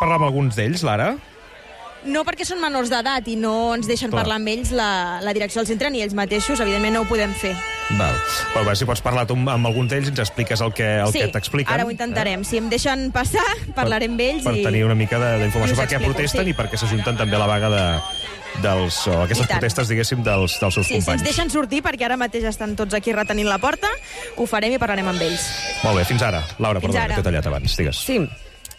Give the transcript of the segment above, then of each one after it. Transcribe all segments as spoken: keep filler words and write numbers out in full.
parlar amb alguns d'ells, Lara? No, perquè són menors d'edat i no ens deixen Clar. parlar amb ells la, la direcció del centre ni ells mateixos, evidentment no ho podem fer. Val. Però, bé, si pots parlar tu amb alguns d'ells, ens expliques el que, el sí, que t'expliquen. ara ho intentarem. Eh? Si em deixen passar, parlarem amb ells. Per, i... per tenir una mica d'informació per què explico, protesten sí. i per què s'ajunten també a la vaga de, dels, o aquestes protestes, diguéssim, dels, dels seus sí, companys. Si ens deixen sortir, perquè ara mateix estan tots aquí retenint la porta, ho farem i parlarem amb ells. Molt bé, fins ara. Laura, Fins perdona, ara. que t'he tallat abans. Digues. Sí,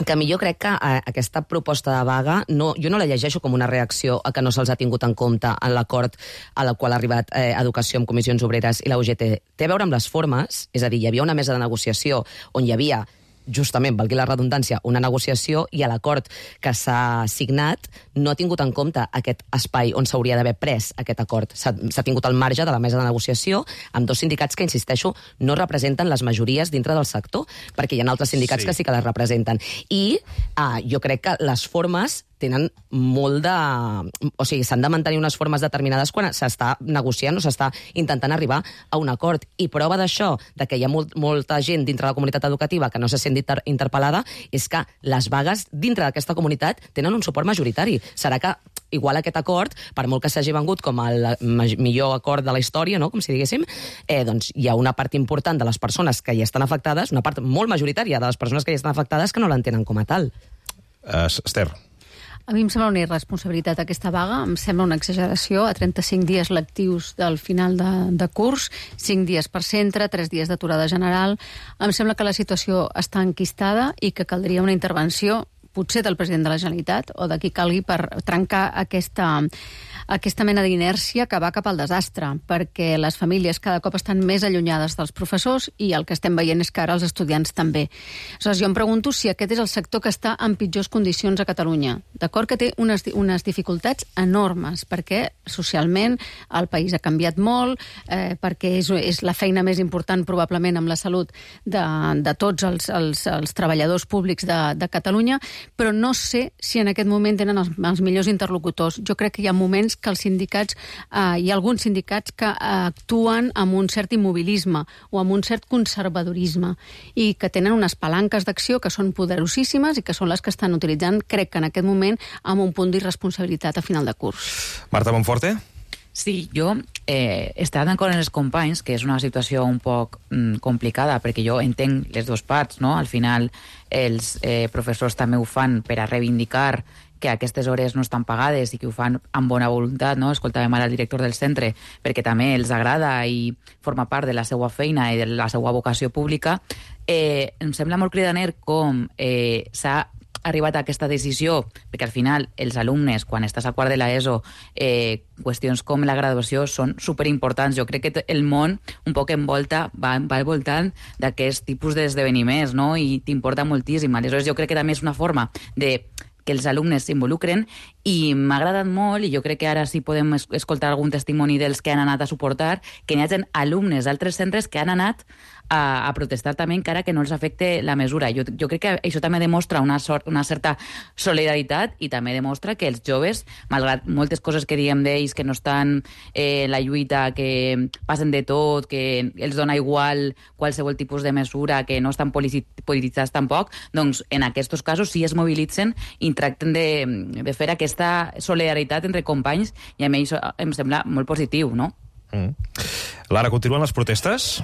que millor crec que eh, aquesta proposta de vaga, no, jo no la llegeixo com una reacció a que no se'ls ha tingut en compte en l'acord a la qual ha arribat eh, Educació amb Comissions Obreres i la U G T. Té a veure amb les formes, és a dir, hi havia una mesa de negociació on hi havia justament, valgui la redundància, una negociació i a l'acord que s'ha signat no ha tingut en compte aquest espai on s'hauria d'haver pres aquest acord. S'ha tingut al marge de la mesa de negociació amb dos sindicats que, insisteixo, no representen les majories dintre del sector, perquè hi ha altres sindicats sí. que sí que les representen. I ah, jo crec que les formes tenen molt de... O sigui, s'han de mantenir unes formes determinades quan s'està negociant o s'està intentant arribar a un acord. I prova d'això, de que hi ha molt, molta gent dintre de la comunitat educativa que no se sent inter interpel·lada, és que les vagues dintre d'aquesta comunitat tenen un suport majoritari. Serà que igual aquest acord, per molt que s'hagi vengut com el millor acord de la història, no? Com si diguéssim, eh, doncs hi ha una part important de les persones que hi estan afectades, una part molt majoritària de les persones que hi estan afectades que no l'entenen com a tal. Uh, Esther. A mi em sembla una irresponsabilitat aquesta vaga, em sembla una exageració. A trenta-cinc dies lectius del final de, de curs, cinc dies per centre, tres dies d'aturada general. Em sembla que la situació està enquistada i que caldria una intervenció, potser del president de la Generalitat o de qui calgui, per trencar aquesta, aquesta mena d'inèrcia que va cap al desastre, perquè les famílies cada cop estan més allunyades dels professors i el que estem veient és que ara els estudiants també. Aleshores, jo em pregunto si aquest és el sector que està en pitjors condicions a Catalunya. D'acord que té unes, unes dificultats enormes, perquè socialment el país ha canviat molt, eh, perquè és, és la feina més important probablement amb la salut de, de tots els, els, els treballadors públics de, de Catalunya, però no sé si en aquest moment tenen els, els millors interlocutors. Jo crec que hi ha moments que els sindicats, eh, hi ha alguns sindicats que eh, actuen amb un cert immobilisme o amb un cert conservadorisme i que tenen unes palanques d'acció que són poderosíssimes i que són les que estan utilitzant, crec que en aquest moment, amb un punt d'irresponsabilitat a final de curs. Marta Monforte? Sí, jo eh, estaré d'acord amb els companys que és una situació un poc mm, complicada, perquè jo entenc les dues parts, no? Al final els eh, professors també ho fan per a reivindicar que aquestes hores no estan pagades i que ho fan amb bona voluntat, no? Escoltàvem ara el director del centre, perquè també els agrada i forma part de la seva feina i de la seva vocació pública. Eh, em sembla molt cridaner com eh, s'ha arribat a aquesta decisió, perquè al final els alumnes, quan estàs a quart de l'ESO, eh, qüestions com la graduació són superimportants. Jo crec que el món un poc envolta, va, va envoltant d'aquest tipus d'esdeveniments, no? I t'importa moltíssim. Aleshores, jo crec que també és una forma de que els alumnes s'involucren i m'ha agradat molt, i jo crec que ara sí podem escoltar algun testimoni dels que han anat a suportar, que n'hi hagi alumnes d'altres centres que han anat a, a protestar també encara que no els afecte la mesura. Jo, jo crec que això també demostra una, sort, una certa solidaritat i també demostra que els joves, malgrat moltes coses que diem d'ells, que no estan eh, en la lluita, que passen de tot, que els dona igual qualsevol tipus de mesura, que no estan polititzats tampoc, doncs en aquests casos sí es mobilitzen i tracten de, de fer aquesta solidaritat entre companys, i a mi això em sembla molt positiu, no? Mm. Lara, continuen les protestes?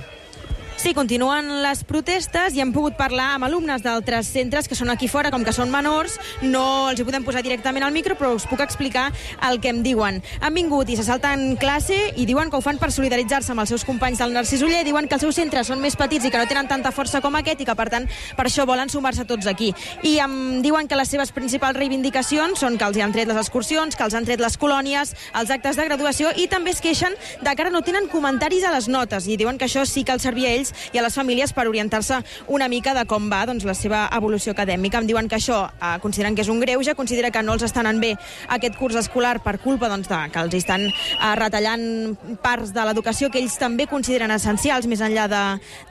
Sí, continuen les protestes i hem pogut parlar amb alumnes d'altres centres que són aquí fora, com que són menors, no els hi podem posar directament al micro, però us puc explicar el que em diuen. Han vingut i se salten classe i diuen que ho fan per solidaritzar-se amb els seus companys del Narcís Oller, diuen que els seus centres són més petits i que no tenen tanta força com aquest i que, per tant, per això volen sumar-se tots aquí. I em diuen que les seves principals reivindicacions són que els hi han tret les excursions, que els han tret les colònies, els actes de graduació, i també es queixen de que ara no tenen comentaris a les notes i diuen que això sí que els servia a ells i a les famílies per orientar-se una mica de com va, doncs, la seva evolució acadèmica. Em diuen que això eh, consideren que és un greuge, considera que no els estan anant bé aquest curs escolar per culpa, doncs, de, que els estan eh, retallant parts de l'educació que ells també consideren essencials més enllà de,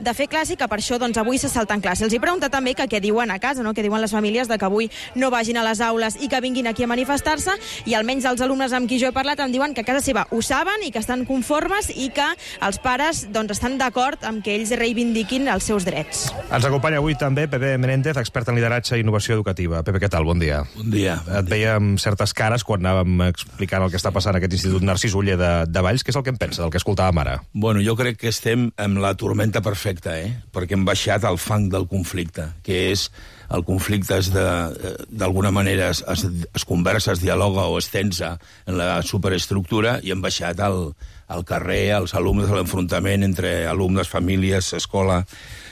de fer classe, i que per això, doncs, avui se salten classe. Els hi pregunta també que què diuen a casa, no? Què diuen les famílies de que avui no vagin a les aules i que vinguin aquí a manifestar-se, i almenys els alumnes amb qui jo he parlat em diuen que a casa seva ho saben i que estan conformes i que els pares, doncs, estan d'acord amb que ells reivindiquin els seus drets. Ens acompanya avui també Pepe Menéndez, expert en lideratge i innovació educativa. Pepe, què tal? Bon dia. Bon dia. Et veiem certes cares quan anàvem explicant el que està passant a aquest Institut Narcís Oller de, de Valls. Què és el que en pensa del que escoltàvem ara? Bueno, jo crec que estem amb la tormenta perfecta, eh? Perquè hem baixat al fang del conflicte, que és el conflicte és d'alguna manera es, es, es conversa, es dialoga o es tensa en la superestructura i hem baixat al, al carrer, als alumnes, a l'enfrontament entre alumnes, famílies, escola.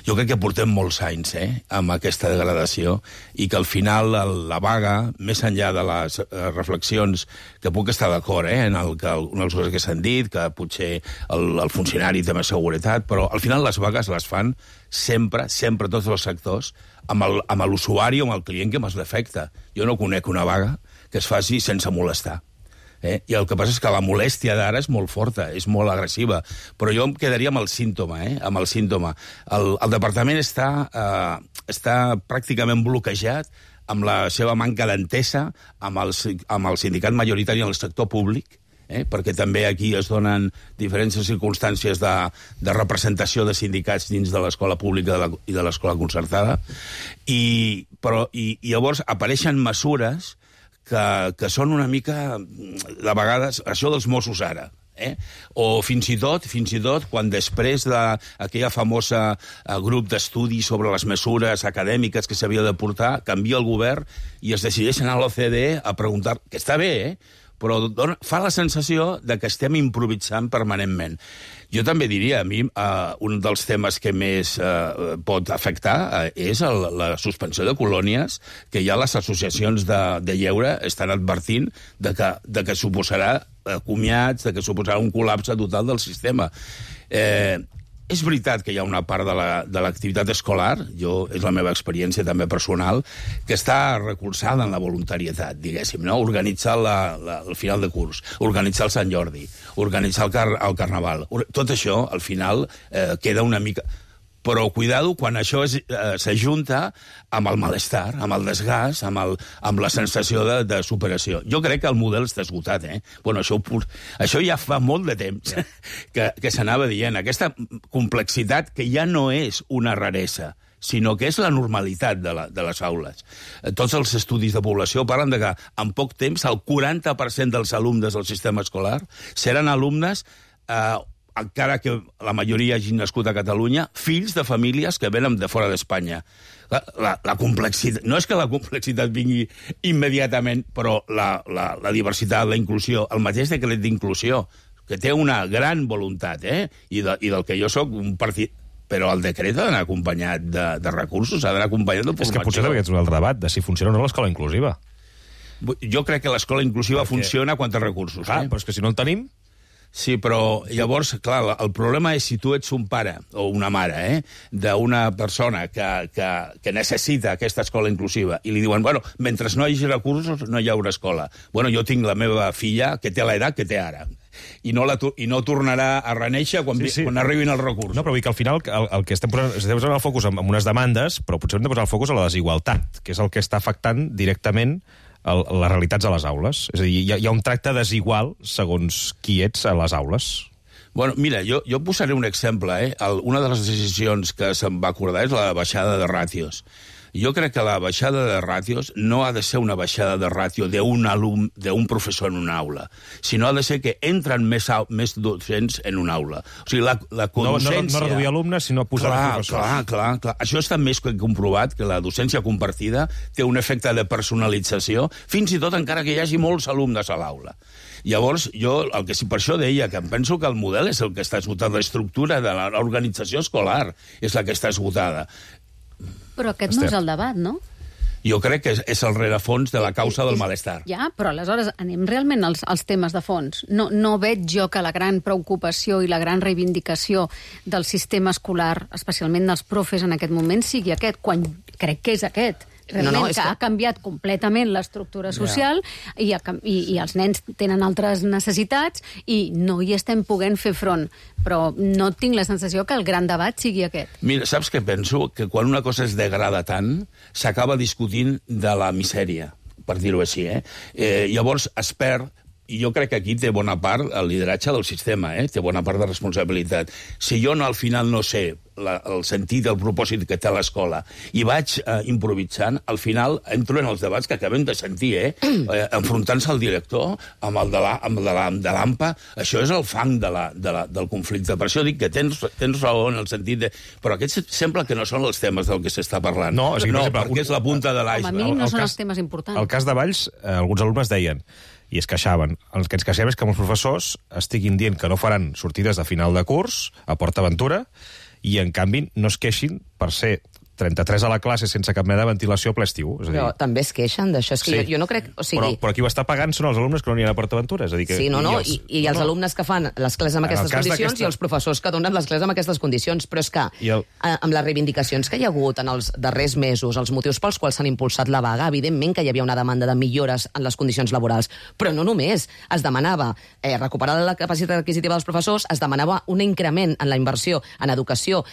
Jo crec que portem molts anys eh, amb aquesta degradació i que al final la vaga, més enllà de les reflexions, que puc estar d'acord eh, en el, que, una de les coses que s'han dit, que potser el, el funcionari té més seguretat, però al final les vagues les fan sempre, sempre tots els sectors, amb l'usuari o amb el client que més l'afecta. Jo no conec una vaga que es faci sense molestar. Eh? I el que passa és que la molèstia d'ara és molt forta, és molt agressiva, però jo em quedaria amb el símptoma, eh? amb el símptoma. El, el departament està, eh, està pràcticament bloquejat amb la seva manca d'entesa amb, el, amb el sindicat majoritari en el sector públic, eh? perquè també aquí es donen diferents circumstàncies de, de representació de sindicats dins de l'escola pública de la, i de l'escola concertada, i, però, i, i llavors apareixen mesures que, que són una mica, de vegades, això dels Mossos ara, eh? o fins i tot, fins i tot, quan després d'aquella famosa eh, grup d'estudi sobre les mesures acadèmiques que s'havia de portar, canvia el govern i es decideix anar a l'O C D E a preguntar, que està bé, eh? però dona, fa la sensació de que estem improvisant permanentment. Jo també diria, a mi, uh, un dels temes que més uh, pot afectar uh, és el, la suspensió de colònies, que ja les associacions de, de lleure estan advertint de que, de que suposarà uh, comiats, de que suposarà un col·lapse total del sistema. Eh, És veritat que hi ha una part de l'activitat la, escolar, jo, és la meva experiència també personal, que està recolzada en la voluntarietat, diguéssim, no? Organitzar la, la, el final de curs, organitzar el Sant Jordi, organitzar el, car el Carnaval. Tot això, al final, eh, queda una mica... Però, cuidado, quan això eh, s'ajunta amb el malestar, amb el desgast, amb, el, amb la sensació de, de superació. Jo crec que el model està esgotat, eh? Bueno, això, això ja fa molt de temps yeah. que, que s'anava dient. Aquesta complexitat que ja no és una raresa, sinó que és la normalitat de, la, de les aules. Tots els estudis de població parlen de que en poc temps el quaranta per cent dels alumnes del sistema escolar seran alumnes eh, encara que la majoria hagin nascut a Catalunya, fills de famílies que venen de fora d'Espanya. La, la, la complexitat... No és que la complexitat vingui immediatament, però la, la, la diversitat, la inclusió, el mateix decret d'inclusió, que té una gran voluntat, eh? I, de, i del que jo sóc un partit... Però el decret ha d'anar acompanyat de, de recursos, ha d'anar acompanyat de formació. És que potser també és un altre debat, de si funciona o no l'escola inclusiva. Jo crec que l'escola inclusiva Perquè... funciona quan té recursos. Ah, eh? però és que si no el tenim... Sí, però llavors, clar, el problema és si tu ets un pare o una mare eh, d'una persona que, que, que necessita aquesta escola inclusiva i li diuen, bueno, mentre no hi hagi recursos no hi haurà escola. Bueno, jo tinc la meva filla que té l'edat que té ara i no, la, i no tornarà a reneixer quan, sí, sí. quan arribin els recursos. No, però vull dir que al final el, el que estem posant, estem posant el focus en, en unes demandes, però potser hem de posar el focus a la desigualtat, que és el que està afectant directament el, les realitats a les aules. És a dir, hi ha, hi ha un tracte desigual segons qui ets a les aules. Bueno, mira, jo, jo posaré un exemple. Eh? El, una de les decisions que se'n va acordar és la baixada de ràtios. Jo crec que la baixada de ràtios no ha de ser una baixada de ràtio d'un alum, d'un professor en una aula, sinó ha de ser que entren més, més docents en una aula. O sigui, la, la docència... No, no, no reduir alumnes, sinó posar clar, professors. Clar, clar, clar. Això està més que comprovat, que la docència compartida té un efecte de personalització, fins i tot encara que hi hagi molts alumnes a l'aula. Llavors, jo el que sí, per això deia que em penso que el model és el que està esgotat, l'estructura de l'organització escolar és la que està esgotada. Però aquest no és el debat, no? Jo crec que és el rerefons de la causa del malestar. Ja, però aleshores anem realment als, als temes de fons. No, no veig jo que la gran preocupació i la gran reivindicació del sistema escolar, especialment dels profes en aquest moment, sigui aquest, quan crec que és aquest. Realment, no, no, que, que ha canviat completament l'estructura social yeah. i, i, i els nens tenen altres necessitats i no hi estem podent fer front. Però no tinc la sensació que el gran debat sigui aquest. Mira, saps què penso? Que quan una cosa es degrada tant, s'acaba discutint de la misèria, per dir-ho així. Eh? Eh, llavors es perd, i jo crec que aquí té bona part el lideratge del sistema, eh? Té bona part de responsabilitat. Si jo no, al final no sé la, el sentit, el propòsit que té l'escola, i vaig eh, improvisant, al final entro en els debats que acabem de sentir, eh? eh enfrontant-se al director amb el de la, amb el de la, de l'A M P A, això és el fang de la, de la, del conflicte. Per això dic que tens, tens raó en el sentit de... Però aquests sembla que no són els temes del que s'està parlant. No, o sigui, no exemple, perquè és la punta de l'iceberg. Com a mínim no el són cas- els temes importants. El cas de Valls, eh, alguns alumnes deien, i es queixaven, el que ens queixem és que molts professors estiguin dient que no faran sortides de final de curs a Port Aventura i, en canvi, no es queixin per ser trenta-tres a la classe sense cap mena de ventilació a ple estiu. És a dir, Però també es queixen d'això. És que Sí. jo, jo no crec... O sigui, però, però qui ho està pagant són els alumnes que no aniran a Port Aventura. És a dir, que, sí, no, no, els, i, i els no, no. alumnes que fan les classes amb En el aquestes cas condicions d'aquesta- i els professors que donen les classes amb aquestes condicions. Però és que, I el- eh, amb les reivindicacions que hi ha hagut en els darrers mesos, els motius pels quals s'han impulsat la vaga, evidentment que hi havia una demanda de millores en les condicions laborals. Però no només. Es demanava eh, recuperar la capacitat adquisitiva dels professors, es demanava un increment en la inversió en educació,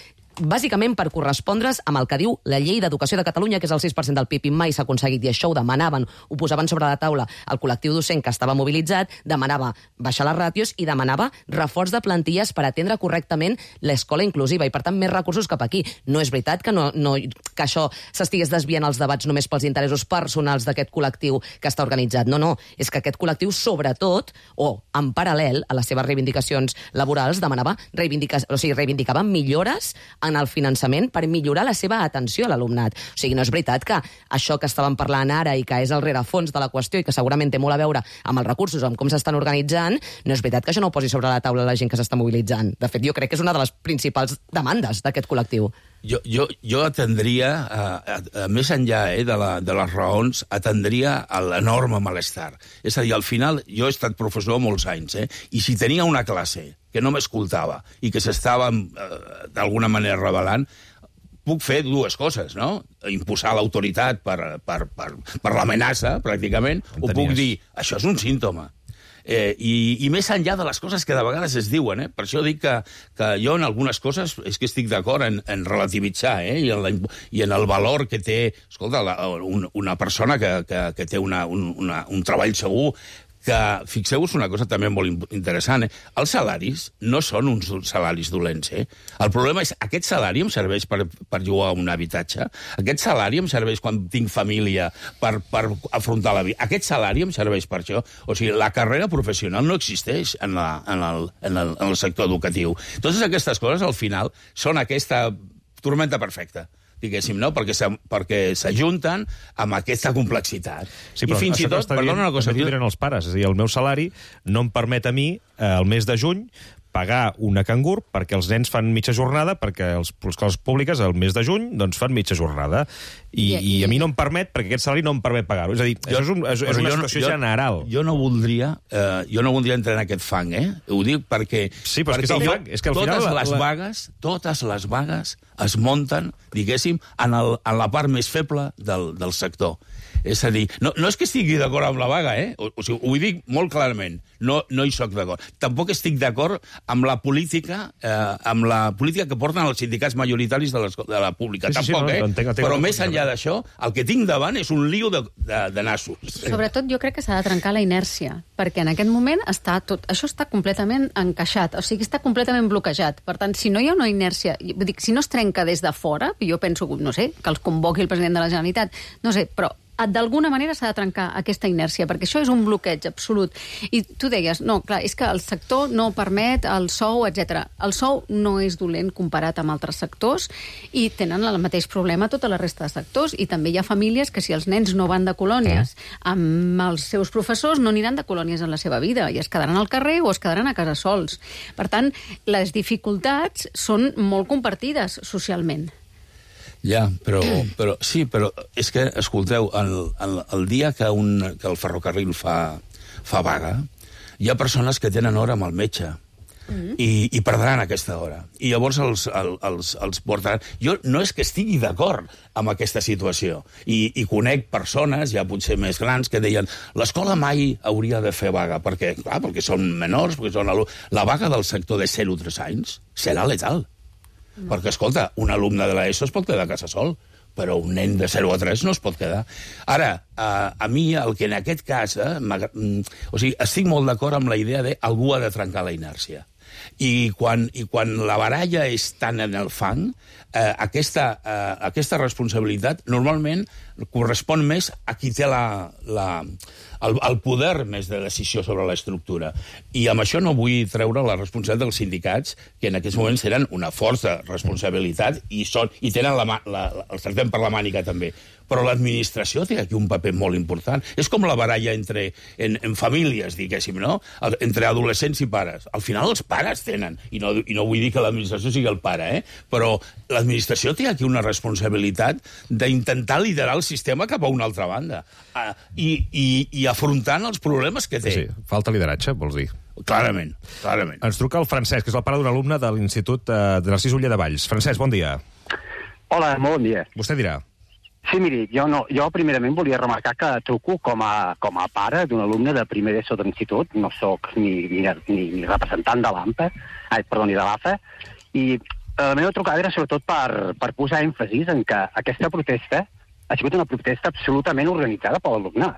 bàsicament per correspondre's amb el que diu la llei d'educació de Catalunya, que és el sis per cent del P I B, i mai s'ha aconseguit, i això ho demanaven, ho posaven sobre la taula el col·lectiu docent que estava mobilitzat, demanava baixar les ràtios i demanava reforç de plantilles per atendre correctament l'escola inclusiva, i per tant més recursos cap aquí. No és veritat que, no, no, que això s'estigués desviant els debats només pels interessos personals d'aquest col·lectiu que està organitzat. No, no, és que aquest col·lectiu, sobretot, o en paral·lel a les seves reivindicacions laborals, demanava reivindica... o sigui, reivindicava millores en el finançament per millorar la seva atenció a l'alumnat. O sigui, no és veritat que això que estàvem parlant ara i que és el rerefons de la qüestió i que segurament té molt a veure amb els recursos o amb com s'estan organitzant, no és veritat que això no ho posi sobre la taula la gent que s'està mobilitzant. De fet, jo crec que és una de les principals demandes d'aquest col·lectiu. Jo, jo, jo atendria, a, a, a, més enllà eh, de, la, de les raons, atendria a l'enorme malestar. És a dir, al final, jo he estat professor molts anys, eh, i si tenia una classe que no m'escoltava i que s'estava eh, d'alguna manera revelant, puc fer dues coses, no? Imposar l'autoritat per, per, per, per l'amenaça, pràcticament, o puc dir, això és un símptoma. Eh, i, i més enllà de les coses que de vegades es diuen, eh? Per això dic que, que jo en algunes coses és que estic d'acord en, en relativitzar, eh? I, en la, i en el valor que té, escolta, la, un, una persona que, que, que té una, un, una, un treball segur, que, fixeu-vos una cosa també molt interessant, eh? Els salaris no són uns salaris dolents, eh? El problema és, aquest salari em serveix per, per llogar un habitatge? Aquest salari em serveix quan tinc família per, per afrontar la vida? Aquest salari em serveix per això? O sigui, la carrera professional no existeix en, la, en, el, en, el, en el sector educatiu. Totes aquestes coses, al final, són aquesta tormenta perfecta, diguéssim, no? Perquè s'ajunten amb aquesta complexitat. Sí, però I fins i tot, perdona una cosa... També diran els pares, és a dir, el meu salari no em permet a mi, eh, el mes de juny, pagar una cangur perquè els nens fan mitja jornada, perquè els, les escoles públiques el mes de juny doncs, fan mitja jornada. I, I, i a mi no em permet, perquè aquest salari no em permet pagar-ho. És a dir, jo, això és, un, és, és una situació jo, general. Jo no voldria eh, jo no voldria entrar en aquest fang, eh? Ho dic perquè... Sí, però és que és el jo, fang. És que al totes final... les la... vagues, totes les vagues es munten, diguéssim, en, el, en la part més feble del, del sector. És a dir, no, no és que estigui d'acord amb la vaga, eh? O, o sigui, ho dic molt clarament. No, no hi soc d'acord. Tampoc estic d'acord amb la política eh, amb la política que porten els sindicats majoritaris de, les, de la pública. Sí, sí, Tampoc, sí, no, eh? entenc, entenc, Però entenc, més enllà d'això, el que tinc davant és un lío de, de, de nassos. Sobretot jo crec que s'ha de trencar la inèrcia, perquè en aquest moment està tot, això està completament encaixat, o sigui, està completament bloquejat. Per tant, si no hi ha una inèrcia, vull dir, si no es trenca des de fora, jo penso, no sé, que els convoqui el president de la Generalitat, no sé, però d'alguna manera s'ha de trencar aquesta inèrcia, perquè això és un bloqueig absolut. I tu deies, no, clar, és que el sector no permet el sou, etcètera. El sou no és dolent comparat amb altres sectors i tenen el mateix problema tota la resta de sectors, i també hi ha famílies que si els nens no van de colònies amb els seus professors no aniran de colònies en la seva vida i es quedaran al carrer o es quedaran a casa sols. Per tant, les dificultats són molt compartides socialment. Ja, però, però sí, però és que, escolteu, el, el, el dia que, un, que el ferrocarril fa, fa vaga, hi ha persones que tenen hora amb el metge mm-hmm. i, i perdran aquesta hora. I llavors els, el, els, els portaran... Jo no és que estigui d'acord amb aquesta situació. I, I conec persones, ja potser més grans, que deien l'escola mai hauria de fer vaga, perquè, clar, perquè són menors, perquè són alumnes. La vaga del sector de zero a tres anys serà letal. No. Perquè, escolta, un alumne de l'ESO es pot quedar a casa sol, però un nen de zero a tres no es pot quedar. Ara, a, a mi, el que en aquest cas... Eh, o sigui, estic molt d'acord amb la idea de algú ha de trencar la inèrcia. I quan, i quan la baralla és tan en el fang, eh, aquesta, eh, aquesta responsabilitat normalment correspon més a qui té la, la, el, el poder més de decisió sobre l'estructura. I amb això no vull treure la responsabilitat dels sindicats, que en aquests moments tenen una forta responsabilitat i, són, i tenen la, la, el tractem per la mànica també. Però l'administració té aquí un paper molt important. És com la baralla entre, en, en famílies, diguéssim, no? Entre adolescents i pares. Al final els pares tenen, i no, i no vull dir que l'administració sigui el pare, eh? Però l'administració té aquí una responsabilitat d'intentar liderar el sistema cap a una altra banda uh, i, i, i afrontant els problemes que té. Sí, falta lideratge, vols dir? Clarament, clarament. Ens truca el Francesc, que és el pare d'un alumne de l'Institut uh, de Narcís Oller de Valls. Francesc, bon dia. Hola, molt bon dia. Vostè dirà. Sí, miri, jo, no, jo primerament volia remarcar que truco com a, com a pare d'un alumne de primer d'ESO de l'institut, no sóc ni, ni, ni, ni representant de l'AMPA, ai, perdó, ni de l'AFA, i la meva trucada era sobretot per, per posar èmfasis en que aquesta protesta ha sigut una protesta absolutament organitzada per l'alumnat.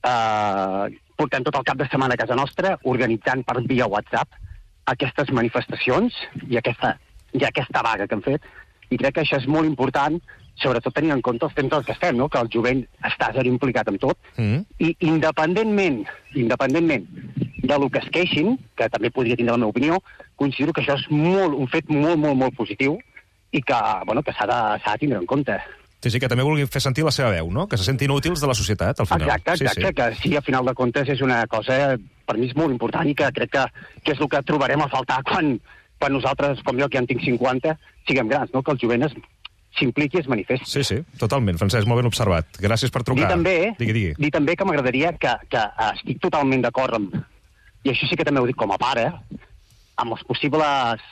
Uh, portem tot el cap de setmana a casa nostra organitzant per via WhatsApp aquestes manifestacions i aquesta, i aquesta vaga que han fet, i crec que això és molt important, sobretot tenint en compte els temps en què estem, no? Que el jovent està zero implicat en tot, mm. i independentment, independentment de lo que es queixin, que també podria tindre la meva opinió, considero que això és molt, un fet molt, molt, molt positiu i que, bueno, que s'ha de, s'ha de tindre en compte. Sí, sí, que també vulguin fer sentir la seva veu, no? Que se sentin útils de la societat, al final. Exacte, exacte, sí, sí. Que sí, a final de comptes és una cosa, per mi és molt important i que crec que, que és el que trobarem a faltar quan, quan nosaltres, com jo, que ja en tinc cinquanta, siguem grans, no? Que el jovent es s'impliqui i es manifesti. Sí, sí, totalment, Francesc, molt ben observat. Gràcies per trucar. Dir també, digui, digui. Dir també que m'agradaria que, que estic totalment d'acord amb, i això sí que també ho dic com a pare, amb les possibles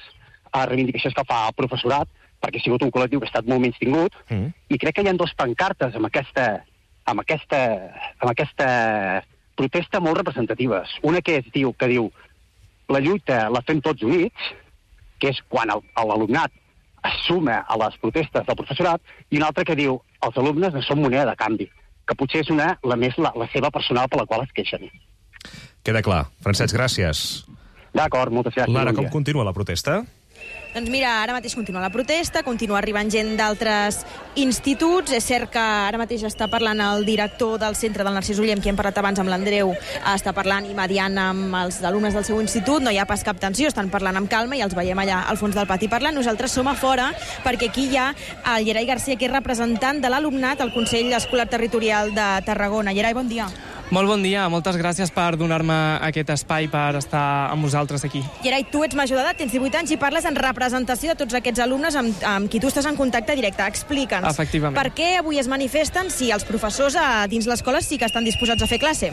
reivindicacions que fa el professorat, perquè ha sigut un col·lectiu que ha estat molt menys tingut, mm. i crec que hi ha dos pancartes amb aquesta, amb aquesta, amb aquesta protesta molt representatives. Una que es diu, que diu la lluita la fem tots units, que és quan l'alumnat es suma a les protestes del professorat, i una altra que diu els alumnes no són moneda de canvi, que potser és una, la més la, la seva personal per la qual es queixen. Queda clar. Francesc, gràcies. D'acord, moltes gràcies. Lara, com continua la protesta? Doncs mira, ara mateix continua la protesta, continua arribant gent d'altres instituts. És cert que ara mateix està parlant el director del centre del Narcís Oller, amb qui hem parlat abans, amb l'Andreu, està parlant i mediant amb els alumnes del seu institut. No hi ha pas cap tensió, estan parlant amb calma i els veiem allà al fons del pati parlant. Nosaltres som a fora perquè aquí hi ha el Gerai Garcia, que és representant de l'alumnat al Consell Escolar Territorial de Tarragona. Gerai, bon dia. Molt bon dia, moltes gràcies per donar-me aquest espai per estar amb vosaltres aquí. Gerai, tu ets major d'edat, tens divuit anys i parles en representació de tots aquests alumnes amb, amb qui tu estàs en contacte directe. Explica'ns, efectivament, per què avui es manifesten si els professors a dins l'escola sí que estan disposats a fer classe?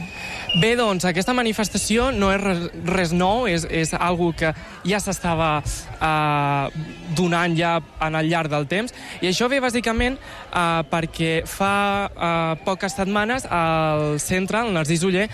Bé, doncs, aquesta manifestació no és res, res nou, és, és algo que ja s'estava eh, donant ja en el llarg del temps, i això ve bàsicament eh, perquè fa eh, poques setmanes el centre, el Narcís Oller,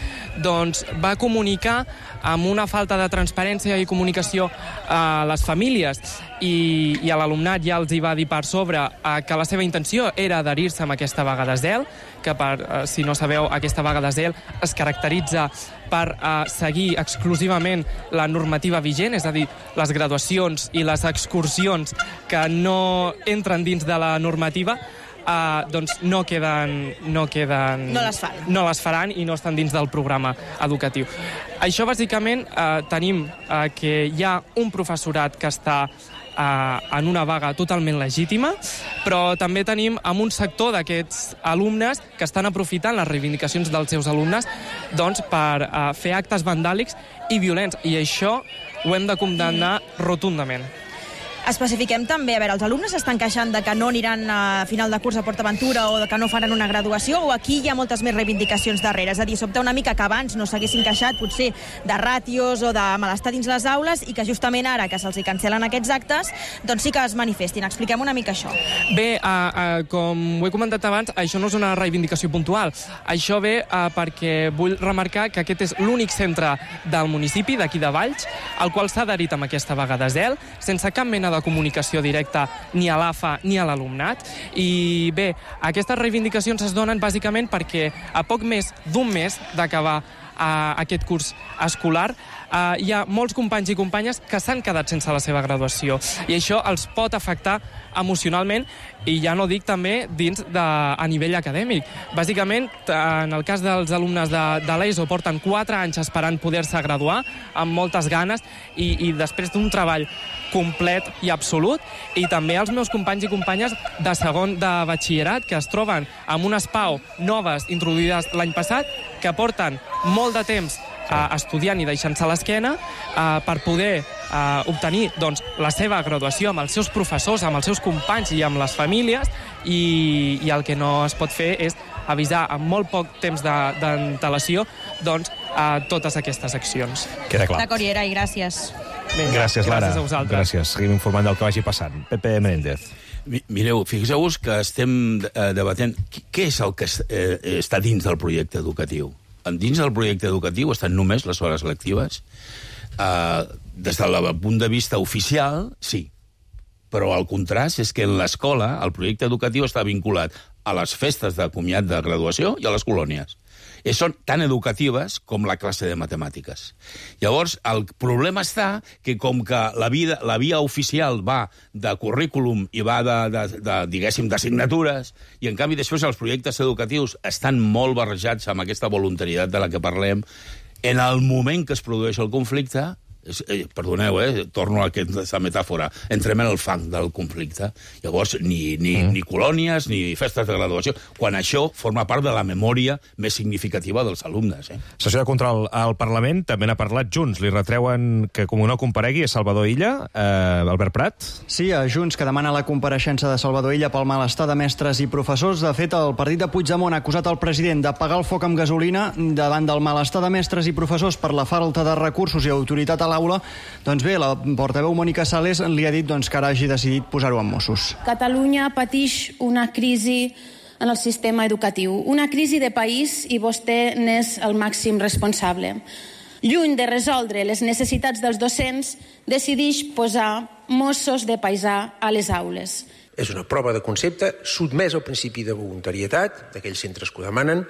doncs, va comunicar amb una falta de transparència i comunicació a les famílies i, i a l'alumnat ja els hi va dir per sobre eh, que la seva intenció era adherir-se amb aquesta vaga de zel, que per, eh, si no sabeu, aquesta vaga de zel es caracteritza per eh, seguir exclusivament la normativa vigent, és a dir, les graduacions i les excursions que no entren dins de la normativa, Uh, doncs no queden, no queden... No les fan. No les faran i no estan dins del programa educatiu. Això, bàsicament, uh, tenim uh, que hi ha un professorat que està uh, en una vaga totalment legítima, però també tenim amb un sector d'aquests alumnes que estan aprofitant les reivindicacions dels seus alumnes doncs, per uh, fer actes vandàlics i violents, i això ho hem de condemnar rotundament. Especifiquem també, a veure, els alumnes estan queixant de que no aniran a final de curs a PortAventura o de que no faran una graduació, o aquí hi ha moltes més reivindicacions darrere? És a dir, sobta una mica que abans no s'haguessin queixat potser de ràtios o de malestar dins les aules i que justament ara que se'ls hi cancel·len aquests actes, doncs sí que es manifestin. Expliquem una mica això. Bé, uh, uh, com ho he comentat abans, això no és una reivindicació puntual. Això ve uh, perquè vull remarcar que aquest és l'únic centre del municipi, d'aquí de Valls, al qual s'ha adherit amb aquesta vaga de zel, sense cap mena de comunicació directa ni a l'AFA ni a l'alumnat. I bé, aquestes reivindicacions es donen bàsicament perquè a poc més d'un mes d'acabar uh, aquest curs escolar, uh, hi ha molts companys i companyes que s'han quedat sense la seva graduació i això els pot afectar emocionalment i ja no dic també dins de, a nivell acadèmic. Bàsicament, en el cas dels alumnes de, de l'ESO, porten quatre anys esperant poder-se graduar, amb moltes ganes, i, i després d'un treball complet i absolut, i també els meus companys i companyes de segon de batxillerat, que es troben amb unes P A U noves introduïdes l'any passat, que porten molt de temps eh, estudiant i deixant-se l'esquena eh, per poder eh, obtenir doncs, la seva graduació amb els seus professors, amb els seus companys i amb les famílies, i, i el que no es pot fer és avisar amb molt poc temps d'antelació doncs, a totes aquestes accions. Queda clar. D'acord, Yeray, gràcies. Vinga, gràcies, Lara. Gràcies a vosaltres. Gràcies. Seguim informant del que vagi passant. Pepe Menéndez. Mireu, fixeu-vos que estem eh, debatent què és el que eh, està dins del projecte educatiu. Dins del projecte educatiu estan només les hores lectives. Eh, des del punt de vista oficial, sí. Però el contrast és que en l'escola el projecte educatiu està vinculat a les festes de comiat de graduació i a les colònies. I són tan educatives com la classe de matemàtiques. Llavors, el problema està que com que la, vida, la via oficial va de currículum i va de, de, de diguéssim, d'assignatures, i en canvi després els projectes educatius estan molt barrejats amb aquesta voluntaritat de la que parlem, en el moment que es produeix el conflicte, eh, perdoneu, eh, torno a aquesta metàfora, entrem en el fang del conflicte. Llavors, ni, ni, mm. ni colònies, ni festes de graduació, quan això forma part de la memòria més significativa dels alumnes. Eh? Sessió de control al Parlament, també n'ha parlat Junts. Li retreuen que com no comparegui a Salvador Illa, eh, Albert Prat? Sí, a Junts, que demana la compareixença de Salvador Illa pel malestar de mestres i professors. De fet, el partit de Puigdemont ha acusat el president d'apagar el foc amb gasolina davant del malestar de mestres i professors per la falta de recursos i autoritat a l'aula. Doncs bé, la portaveu Mònica Sales li ha dit doncs, que ara hagi decidit posar-ho en Mossos. Catalunya patix una crisi en el sistema educatiu, una crisi de país i vostè n'és el màxim responsable. Lluny de resoldre les necessitats dels docents, decideix posar Mossos de paisà a les aules. És una prova de concepte sotmesa al principi de voluntaritat d'aquells centres que ho demanen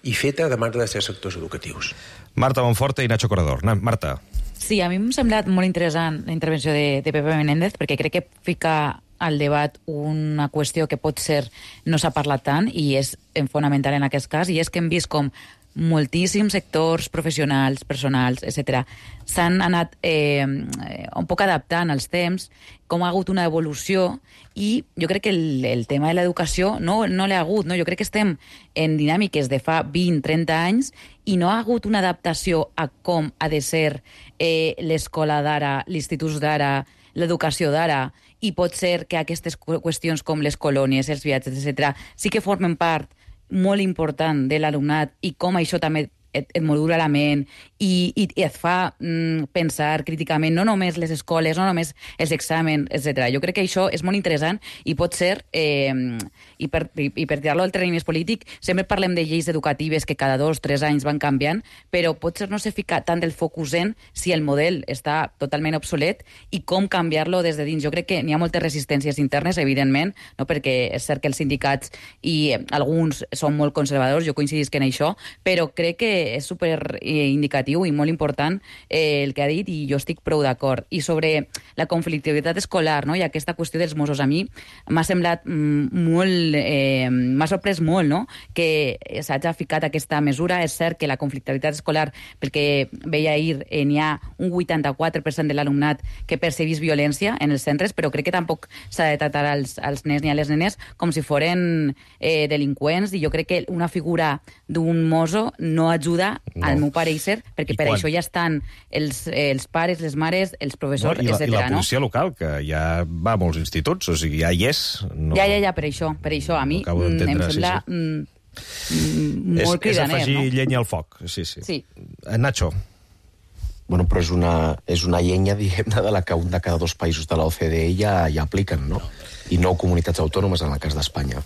i feta a demanda de certs sectors educatius. Marta Monforte i Nacho Corredor. Marta. Sí, a mi m'ha semblat molt interessant la intervenció de, de Pepe Menéndez, perquè crec que fica al debat una qüestió que pot ser no s'ha parlat tant i és fonamental en aquest cas, i és que hem vist com moltíssims sectors professionals, personals, etcètera, s'han anat eh, un poc adaptant als temps, com ha hagut una evolució, i jo crec que el, el tema de l'educació no, no l'ha hagut, no? Jo crec que estem en dinàmiques de fa vint a trenta anys i no ha hagut una adaptació a com ha de ser eh, l'escola d'ara, l'institut d'ara, l'educació d'ara, i pot ser que aquestes qüestions com les colònies, els viatges, etcètera, sí que formen part molt important de l'alumnat i com això també et, et modula la ment i, i, i et fa mm, pensar críticament, no només les escoles, no només els exàmens, etcètera. Jo crec que això és molt interessant i pot ser, eh, i per, i, i per tirar-lo al terreny més polític, sempre parlem de lleis educatives que cada dos o tres anys van canviant, però potser no se fica tant el focus en si el model està totalment obsolet i com canviar-lo des de dins. Jo crec que n'hi ha moltes resistències internes, evidentment, no? Perquè és cert que els sindicats i alguns són molt conservadors, jo coincidisc en això, però crec que és super indicatiu i molt important eh, el que ha dit, i jo estic prou d'acord. I sobre la conflictivitat escolar, no? I aquesta qüestió dels Mossos, a mi m'ha semblat mm, molt, eh, m'ha sorprès molt, no? Que s'hagi ficat aquesta mesura. És cert que la conflictivitat escolar, pel que veia ahir, eh, n'hi ha un vuitanta-quatre per cent de l'alumnat que percebís violència en els centres, però crec que tampoc s'ha de tractar als, als nens ni a les nenes com si foren eh, delinqüents, i jo crec que una figura d'un mosso no ajuda, no, al meu pareixer, perquè I per quan... això ja estan els, els pares, les mares, els professors, no, i la, etcètera. I la policia no? local, que ja va a molts instituts, o sigui, ja hi és. No... Ja, ja, ja, per això, per això. A mi no em sembla sí, sí. Mm, molt cridaner, no? És afegir llenya al foc, sí, sí. sí. Nacho. Bueno, però és una, és una llenya, diguem-ne, de la que un de cada dos països de l'O C D E ja, ja apliquen, no? I nou comunitats autònomes en el cas d'Espanya.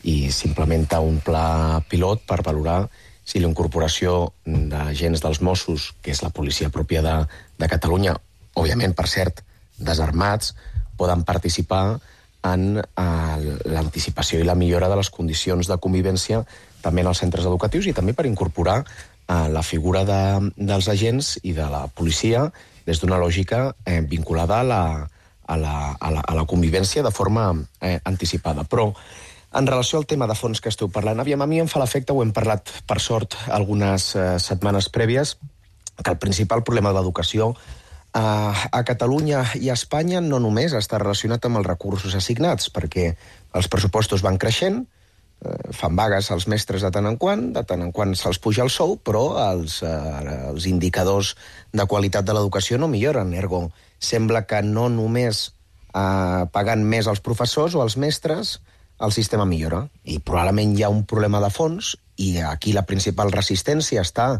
I s'implementa un pla pilot per valorar si la incorporació d'agents dels Mossos, que és la policia pròpia de, de Catalunya, òbviament, per cert, desarmats, poden participar en eh, l'anticipació i la millora de les condicions de convivència també en els centres educatius i també per incorporar eh, la figura de, dels agents i de la policia des d'una lògica eh, vinculada a la, a, la, a, la, a la convivència de forma eh, anticipada. Però, en relació al tema de fons que esteu parlant, aviam, a mi em fa l'efecte, ho hem parlat per sort algunes eh, setmanes prèvies, que el principal problema de l'educació eh, a Catalunya i a Espanya no només està relacionat amb els recursos assignats, perquè els pressupostos van creixent, fan vagues als mestres de tant en quant, de tant en quant se'ls puja el sou, però els, eh, els indicadors de qualitat de l'educació no milloren. Ergo, sembla que no només eh, pagant més als professors o als mestres el sistema millora. I probablement hi ha un problema de fons, i aquí la principal resistència està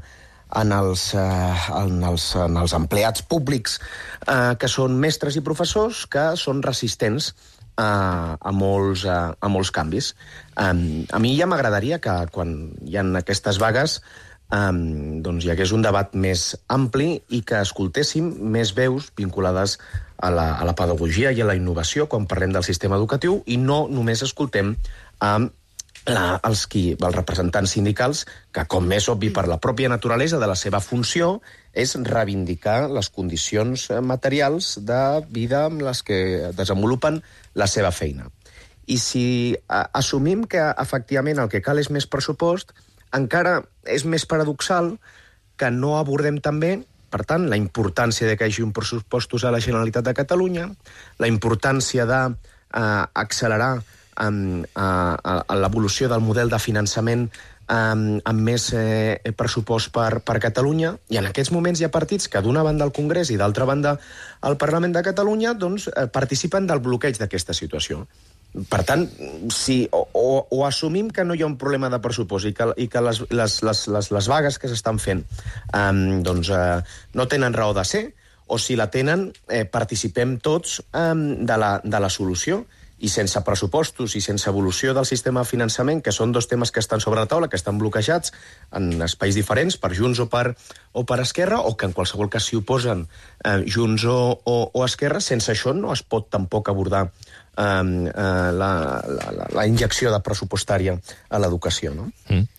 en els, eh, en els, en els empleats públics eh, que són mestres i professors, que són resistents A, a, molts, a, a molts canvis. Um, a mi ja m'agradaria que quan hi ha aquestes vagues um, doncs hi hagués un debat més ampli i que escoltéssim més veus vinculades a la, a la pedagogia i a la innovació quan parlem del sistema educatiu i no només escoltem um, la, els, qui, els representants sindicals que, com més obvi per la pròpia naturalesa de la seva funció, és reivindicar les condicions materials de vida amb les que desenvolupen la seva feina. I si a, assumim que efectivament el que cal és més pressupost, encara és més paradoxal que no abordem també, per tant, la importància de que hi hagi un pressupostos a la Generalitat de Catalunya, la importància d'accelerar eh, a, a, a l'evolució del model de finançament Um, amb més eh, pressupost per, per Catalunya, i en aquests moments hi ha partits que d'una banda al Congrés i d'altra banda al Parlament de Catalunya doncs, eh, participen del bloqueig d'aquesta situació. Per tant, si o, o, o assumim que no hi ha un problema de pressupost i que, i que les, les, les, les, les vagues que s'estan fent um, doncs, eh, no tenen raó de ser, o si la tenen, eh, participem tots um, de, la, de la solució. I sense pressupostos i sense evolució del sistema de finançament, que són dos temes que estan sobre la taula, que estan bloquejats en espais diferents, per Junts o per, o per Esquerra, o que en qualsevol cas s'hi oposen eh, Junts o, o, o Esquerra, sense això no es pot tampoc abordar eh, eh, la, la, la injecció de pressupostària a l'educació, no? Mm.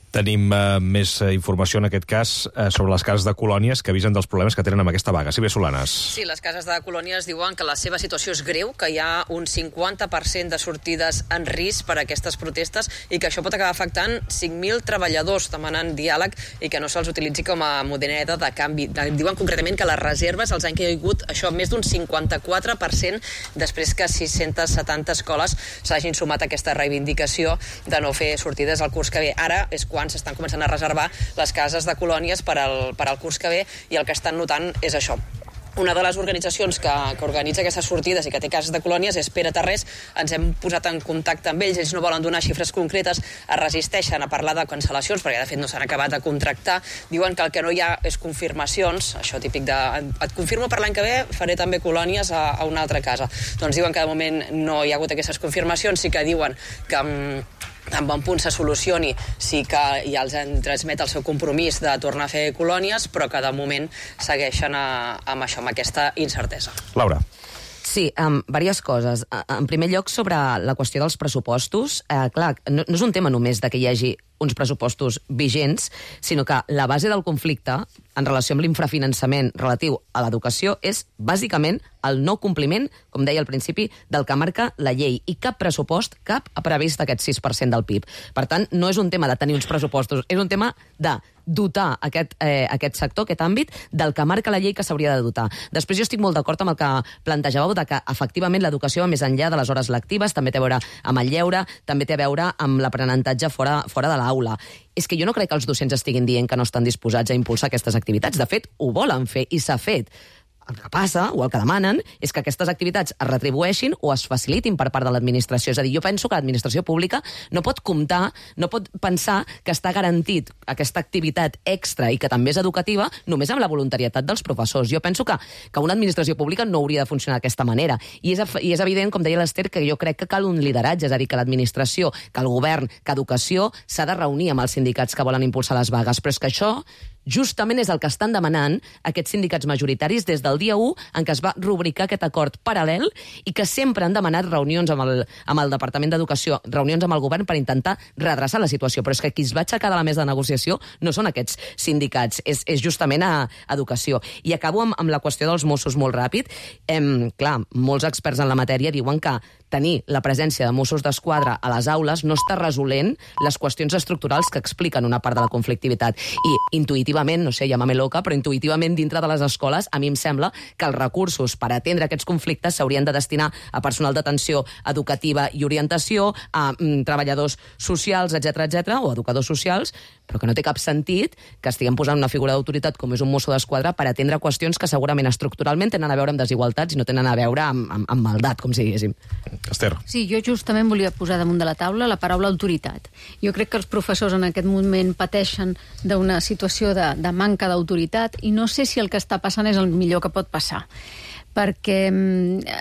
Tenim uh, més uh, informació, en aquest cas, uh, sobre les cases de colònies que avisen dels problemes que tenen amb aquesta vaga. Sí, bé, Solanes. Sí, les cases de colònies diuen que la seva situació és greu, que hi ha un cinquanta per cent de sortides en risc per a aquestes protestes i que això pot acabar afectant cinc mil treballadors demanant diàleg i que no se'ls utilitzi com a moneda de canvi. Diuen concretament que les reserves els han caigut això més d'un cinquanta-quatre per cent després que sis-centes setanta escoles s'hagin sumat a aquesta reivindicació de no fer sortides al curs que ve. Ara és quan s'estan començant a reservar les cases de colònies per al, per al curs que ve i el que estan notant és això. Una de les organitzacions que, que organitza aquestes sortides i que té cases de colònies és Pere Tarrés. Ens hem posat en contacte amb ells, ells no volen donar xifres concretes, es resisteixen a parlar de cancel·lacions perquè de fet no s'han acabat de contractar. Diuen que el que no hi ha és confirmacions, això típic de et confirmo per l'any que ve, faré també colònies a, a una altra casa. Doncs diuen que de moment no hi ha hagut aquestes confirmacions, sí que diuen que en bon punt se solucioni, sí que ja els han transmet el seu compromís de tornar a fer colònies, però que de moment segueixen a, amb això, amb aquesta incertesa. Laura. Sí, um, diverses coses. En primer lloc, sobre la qüestió dels pressupostos, eh, clar, no, no és un tema només de que hi hagi uns pressupostos vigents, sinó que la base del conflicte en relació amb l'infrafinançament relatiu a l'educació és, bàsicament, el no compliment, com deia al principi, del que marca la llei. I cap pressupost, cap, ha previst aquest sis per cent del P I B. Per tant, no és un tema de tenir uns pressupostos, és un tema de dotar aquest, eh, aquest sector, aquest àmbit, del que marca la llei que s'hauria de dotar. Després jo estic molt d'acord amb el que plantejàveu, de que efectivament l'educació va més enllà de les hores lectives, també té a veure amb el lleure, també té a veure amb l'aprenentatge fora, fora de l'aula. És que jo no crec que els docents estiguin dient que no estan disposats a impulsar aquestes activitats. De fet, ho volen fer i s'ha fet. El que passa, o el que demanen, és que aquestes activitats es retribueixin o es facilitin per part de l'administració. És a dir, jo penso que l'administració pública no pot comptar, no pot pensar que està garantit aquesta activitat extra i que també és educativa només amb la voluntarietat dels professors. Jo penso que, que una administració pública no hauria de funcionar d'aquesta manera. I és, I és evident, com deia l'Ester, que jo crec que cal un lideratge, és a dir, que l'administració, que el govern, que educació s'ha de reunir amb els sindicats que volen impulsar les vagues. Però és que això justament és el que estan demanant aquests sindicats majoritaris des del dia u en què es va rubricar aquest acord paral·lel i que sempre han demanat reunions amb el, amb el Departament d'Educació, reunions amb el govern per intentar redreçar la situació. Però és que qui es va aixecar de la mesa de negociació no són aquests sindicats, és, és justament a Educació. I acabo amb, amb la qüestió dels Mossos molt ràpid. Em, clar, molts experts en la matèria diuen que tenir la presència de Mossos d'Esquadra a les aules no està resolent les qüestions estructurals que expliquen una part de la conflictivitat. I intuïtivament, no sé, llámame loca, però intuïtivament dintre de les escoles a mi em sembla que els recursos per atendre aquests conflictes s'haurien de destinar a personal d'atenció educativa i orientació, a mm, treballadors socials, etcètera, etcètera, o educadors socials, però que no té cap sentit que estiguem posant una figura d'autoritat com és un mosso d'esquadra per atendre qüestions que segurament estructuralment tenen a veure amb desigualtats i no tenen a veure amb, amb, amb maldat, com si diguéssim. Esther. Sí, jo justament volia posar damunt de la taula la paraula autoritat. Jo crec que els professors en aquest moment pateixen d'una situació de, de manca d'autoritat i no sé si el que està passant és el millor que pot passar. Perquè eh,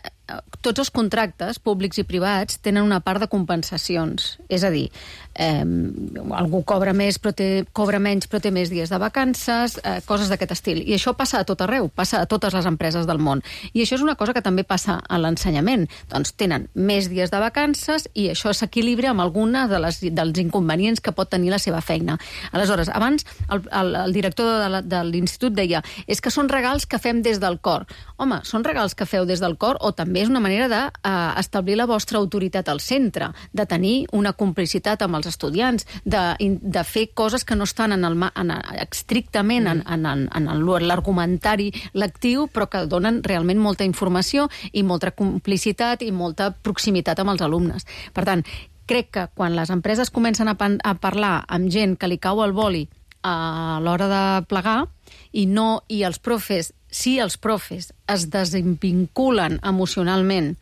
tots els contractes, públics i privats, tenen una part de compensacions. És a dir, eh, algú cobra més però té, cobra menys però té més dies de vacances, eh, coses d'aquest estil. I això passa a tot arreu, passa a totes les empreses del món. I això és una cosa que també passa a l'ensenyament. Doncs tenen més dies de vacances i això s'equilibra amb alguna de les, dels inconvenients que pot tenir la seva feina. Aleshores, abans el, el, el director de, la, de l'institut deia és que són regals que fem des del cor. Home, són regals que feu des del cor o també és una manera d'establir uh, la vostra autoritat al centre, de tenir una complicitat amb els estudiants, de, de fer coses que no estan en el, en, estrictament en, en, en, en l'argumentari lectiu, però que donen realment molta informació i molta complicitat i molta proximitat amb els alumnes. Per tant, crec que quan les empreses comencen a, pan, a parlar amb gent que li cau el boli a l'hora de plegar i, no, i els profes si els profes es desvinculen emocionalment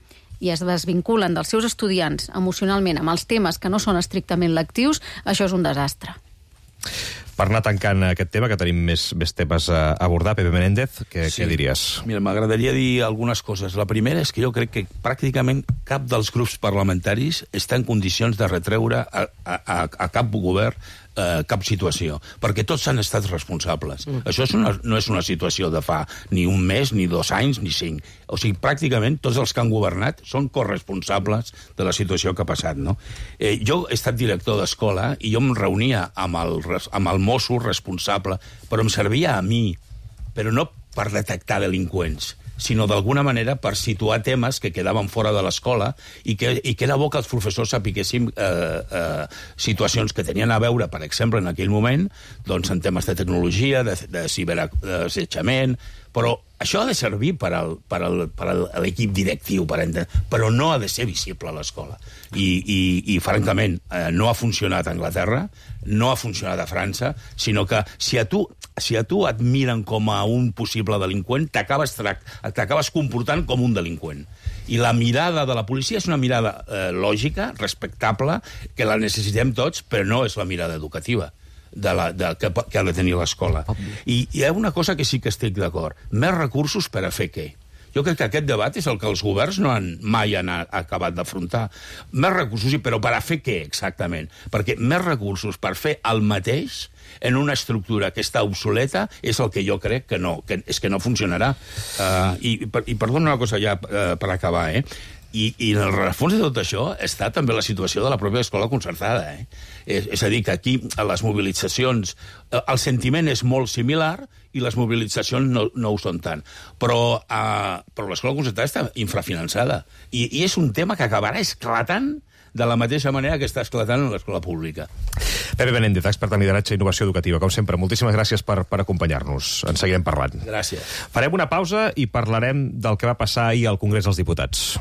i es desvinculen dels seus estudiants emocionalment amb els temes que no són estrictament lectius, això és un desastre. Per anar tancant aquest tema, que tenim més, més temes a abordar, Pepe Menéndez, què, sí. què diries? Mira, m'agradaria dir algunes coses. La primera és que jo crec que pràcticament cap dels grups parlamentaris està en condicions de retreure a, a, a cap govern eh, cap situació, perquè tots han estat responsables. Mm. Això és una, no és una situació de fa ni un mes, ni dos anys, ni cinc. O sigui, pràcticament tots els que han governat són corresponsables de la situació que ha passat, no? Eh, jo he estat director d'escola i jo em reunia amb el, amb el mosso responsable, però em servia a mi, però no per detectar delinqüents, sinó d'alguna manera per situar temes que quedaven fora de l'escola i que, i que era bo que els professors sapiguéssim eh, eh, situacions que tenien a veure, per exemple, en aquell moment, doncs en temes de tecnologia, de, de ciberassetjament, però això ha de servir per al, per al, per al, a l'equip directiu, per entendre, però no ha de ser visible a l'escola. I, i, i francament, eh, no ha funcionat a Anglaterra, no ha funcionat a França, sinó que si a tu, si a tu et miren com a un possible delinqüent, t'acabes t'acabes comportant com un delinqüent. I la mirada de la policia és una mirada eh, lògica, respectable, que la necessitem tots, però no és la mirada educativa. De la, de, que, que ha de tenir l'escola. I hi ha una cosa que sí que estic d'acord. Més recursos per a fer què? Jo crec que aquest debat és el que els governs no han, mai han acabat d'afrontar. Més recursos, però per a fer què exactament? Perquè més recursos per fer el mateix en una estructura que està obsoleta és el que jo crec que no, que és que no funcionarà. Uh, i, I perdona una cosa ja uh, per acabar, eh? I, i en el refons de tot això està també la situació de la pròpia escola concertada. Eh? És, és a dir, que aquí a les mobilitzacions el sentiment és molt similar i les mobilitzacions no, no ho són tant. Però, uh, però l'escola concertada està infrafinançada. I, I és un tema que acabarà esclatant de la mateixa manera que està esclatant en l'escola pública. Pepe Menéndez, expert en lideratge i innovació educativa. Com sempre, moltíssimes gràcies per, per acompanyar-nos. En seguirem parlant. Gràcies. Farem una pausa i parlarem del que va passar ahir al Congrés dels Diputats.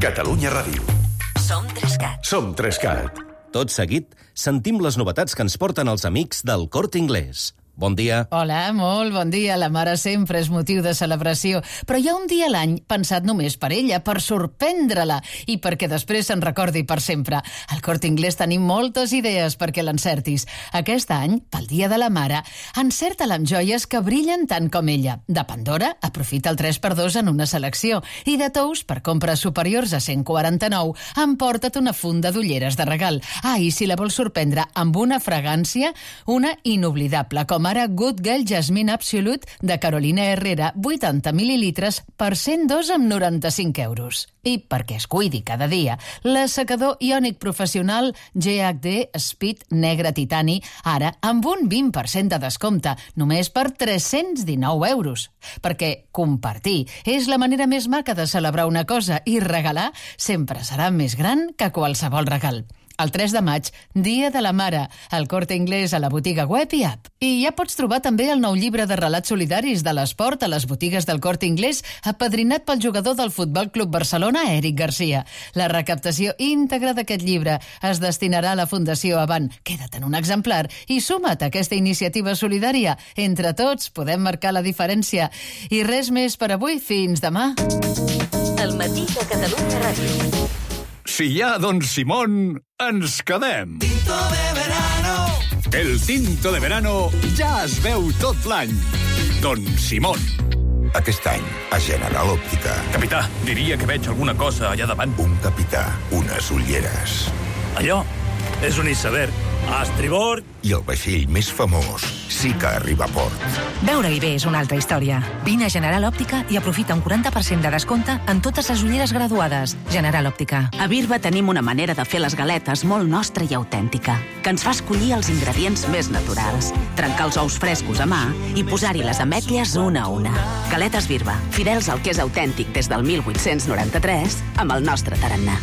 Catalunya Ràdio. Som Trescat. Som Trescat. Tot seguit, sentim les novetats que ens porten els amics del Corte Inglés. bon dia. Hola, molt bon dia. La mare sempre és motiu de celebració, però hi ha un dia a l'any pensat només per ella, per sorprendre-la i perquè després se'n recordi per sempre. Al Corte Inglés tenim moltes idees perquè l'encertis. Aquest any, pel Dia de la Mare, encerta-la amb joies que brillen tant com ella. De Pandora, aprofita el tres per dos en una selecció. I de Tous, per compres superiors a cent quaranta-nou, emporta't una funda d'ulleres de regal. Ah, i si la vols sorprendre amb una fragància, una inoblidable, com ara Good Girl Jasmine Absolute de Carolina Herrera, vuitanta mil·lilitres per cent dos amb noranta-cinc euros. I perquè es cuidi cada dia, l'assecador iònic professional G H D Speed Negre Titani, ara amb un vint per cent de descompte, només per tres-cents dinou euros. Perquè compartir és la manera més maca de celebrar una cosa i regalar sempre serà més gran que qualsevol regal. El tres de maig, Dia de la Mare, al Corte Inglés, a la botiga web i app. I ja pots trobar també el nou llibre de relats solidaris de l'esport a les botigues del Corte Inglés, apadrinat pel jugador del Futbol Club Barcelona, Eric Garcia. La recaptació íntegra d'aquest llibre es destinarà a la Fundació Avant. Queda't en un exemplar i suma't a aquesta iniciativa solidària. Entre tots podem marcar la diferència. I res més per avui. Fins demà. El matí de Catalunya Ràdio. Si hi ha Don Simón, ens quedem. Tinto de verano. El tinto de verano ja es veu tot l'any. Don Simón. Aquest any, a General Òptica. Capità, diria que veig alguna cosa allà davant. Un capità, unes ulleres. Allò és un iceberg. A estribord. I el vaixell més famós sí que arriba a port. Veure-hi bé és una altra història. Vine a General Òptica i aprofita un quaranta per cent de descompte en totes les ulleres graduades. General Òptica. A Birba tenim una manera de fer les galetes molt nostra i autèntica, que ens fa escollir els ingredients més naturals, trencar els ous frescos a mà i posar-hi les ametlles una a una. Galetes Birba, fidels al que és autèntic des del mil vuit-cents noranta-tres, amb el nostre tarannà.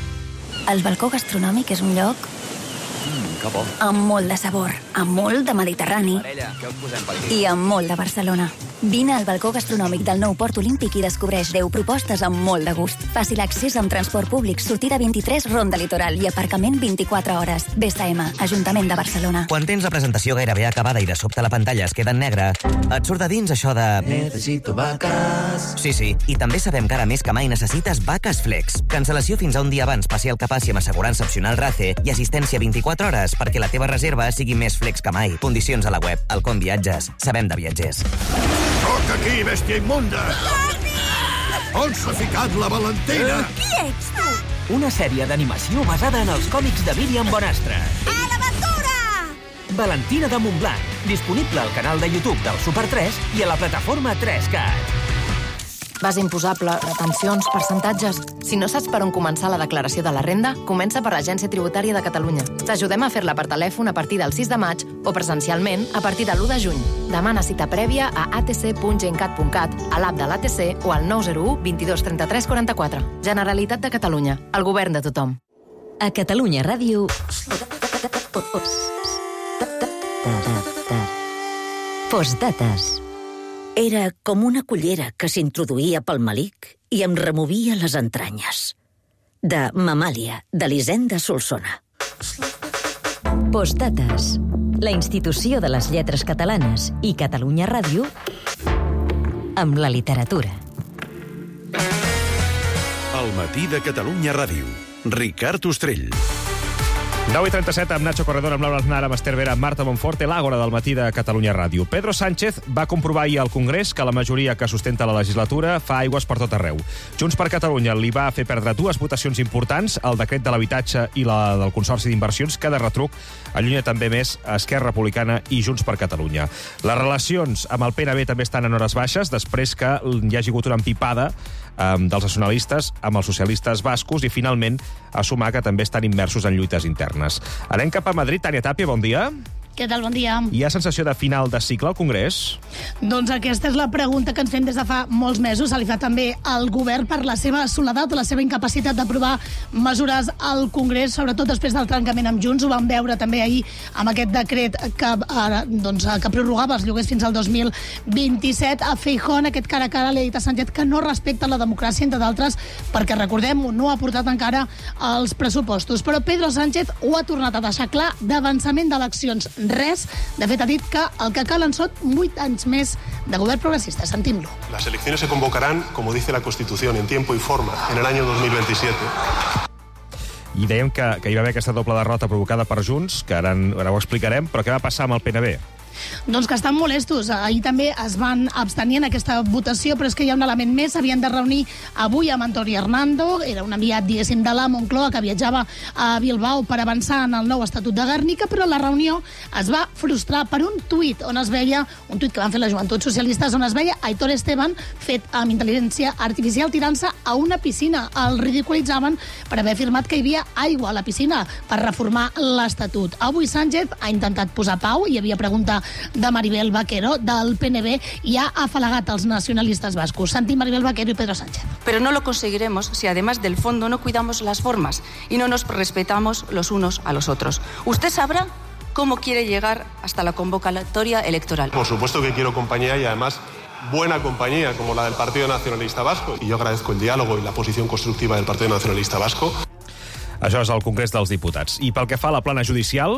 El balcó gastronòmic és un lloc Mm, que bo. amb molt de sabor, amb molt de Mediterrani Parella, què us posem per aquí? i amb molt de Barcelona. Vine al balcó gastronòmic del nou Port Olímpic i descobreix deu propostes amb molt de gust. Fàcil accés amb transport públic, sortida vint-i-tres, Ronda Litoral i aparcament vint-i-quatre hores. B S M, Ajuntament de Barcelona. Quan tens la presentació gairebé acabada i de sobte la pantalla es queda en negre, et surt de dins això de... Necesito vacas. Sí, sí, i també sabem que ara més que mai necessites Vaques Flex. Cancel·lació fins a un dia abans, passi el que passi amb assegurança opcional RACE i assistència vint-i-quatre hores perquè la teva reserva sigui més flex que mai. Condicions a la web. Alcon Viatges. Sabem de viatgers. Soc aquí, bèstia immunda! On s'ha ficat la Valentina? Qui ets tu? Una sèrie d'animació basada en els còmics de Míriam Bonastre. A l'aventura! Valentina de Montblanc. Disponible al canal de YouTube del Super tres i a la plataforma tres cat. Base imposable, retencions, percentatges... Si no saps per on començar la declaració de la renda, comença per l'Agència Tributària de Catalunya. T'ajudem a fer-la per telèfon a partir del sis de maig o presencialment a partir de l'u de juny. Demana cita prèvia a a t c punt gencat punt cat, a l'app de l'A T C o al nou zero u vint dos trenta-tres quaranta-quatre. Generalitat de Catalunya. El govern de tothom. A Catalunya Ràdio... Postdates. Era com una cullera que s'introduïa pel melic i em removia les entranyes. De Mamàlia, d'Elisenda Solsona. Postdates. La institució de les lletres catalanes i Catalunya Ràdio amb la literatura. El matí de Catalunya Ràdio. Ricard Ostrell. nou i trenta-set amb Nacho Corredor, amb Laura Aznar, amb Esther Vera, amb Marta Monfort, i l'Àgora del matí de Catalunya Ràdio. Pedro Sánchez va comprovar ahir al Congrés que la majoria que sustenta la legislatura fa aigües per tot arreu. Junts per Catalunya li va fer perdre dues votacions importants, el decret de l'habitatge i la del Consorci d'Inversions, que de retruc allunya també més Esquerra Republicana i Junts per Catalunya. Les relacions amb el P N B també estan en hores baixes, després que hi hagi hagut una empipada eh, dels nacionalistes amb els socialistes bascos i, finalment, a sumar que també estan immersos en lluites internes. Anem cap a Madrid. Tània Tàpia, bon dia. Què tal? Bon dia. Hi ha sensació de final de cicle al Congrés? Doncs aquesta és la pregunta que ens fem des de fa molts mesos. Se li fa també al govern per la seva soledat, la seva incapacitat d'aprovar mesures al Congrés, sobretot després del trencament amb Junts. Ho vam veure també ahir amb aquest decret que, ara, doncs, que prorrogava els lloguers fins al dos mil vint-i-set. A Feijóo, aquest cara a cara, li ha dit a Sánchez que no respecta la democràcia, entre d'altres, perquè, recordem-ho, no ha portat encara els pressupostos. Però Pedro Sánchez ho ha tornat a deixar clar, d'avançament d'eleccions res. De fet, ha dit que el que calen són vuit anys més de govern progressista. Sentim-lo. Las elecciones se convocarán, como dice la Constitución, en tiempo y forma, en el año dos mil veintisiete. I dèiem que, que hi va haver aquesta doble derrota provocada per Junts, que ara, ara ho explicarem, però què va passar amb el P N B? Doncs que estan molestos. Ahir també es van abstenir en aquesta votació, però és que hi ha un element més. S'havien de reunir avui amb Antoni Hernando, era un enviat, diguéssim, de la Moncloa, que viatjava a Bilbao per avançar en el nou Estatut de Guernica, però la reunió es va frustrar per un tuit on es veia, un tuit que van fer les Joventuts Socialistes, on es veia Aitor Esteban fet amb intel·ligència artificial tirant-se a una piscina. El ridiculitzaven per haver afirmat que hi havia aigua a la piscina per reformar l'Estatut. Avui Sánchez ha intentat posar pau, hi havia pregunta de Maribel Vaquero, del P N B, i ha afalagat els nacionalistes bascos. Sentim Maribel Vaquero y Pedro Sánchez. Pero no lo conseguiremos si además del fondo no cuidamos las formas y no nos respetamos los unos a los otros. Usted sabrá cómo quiere llegar hasta la convocatoria electoral. Por supuesto que quiero compañía y además buena compañía como la del Partido Nacionalista Vasco. Y yo agradezco el diálogo y la posición constructiva del Partido Nacionalista Vasco. Això és el Congrés dels Diputats. I pel que fa a la plana judicial,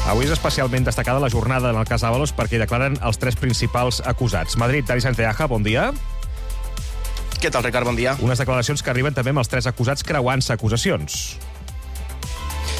avui és especialment destacada la jornada en el cas Ábalos perquè hi declaren els tres principals acusats. Madrid, Dani Sanceaja, bon dia. Què tal, Ricard? Bon dia. Unes declaracions que arriben també amb els tres acusats creuant-se acusacions.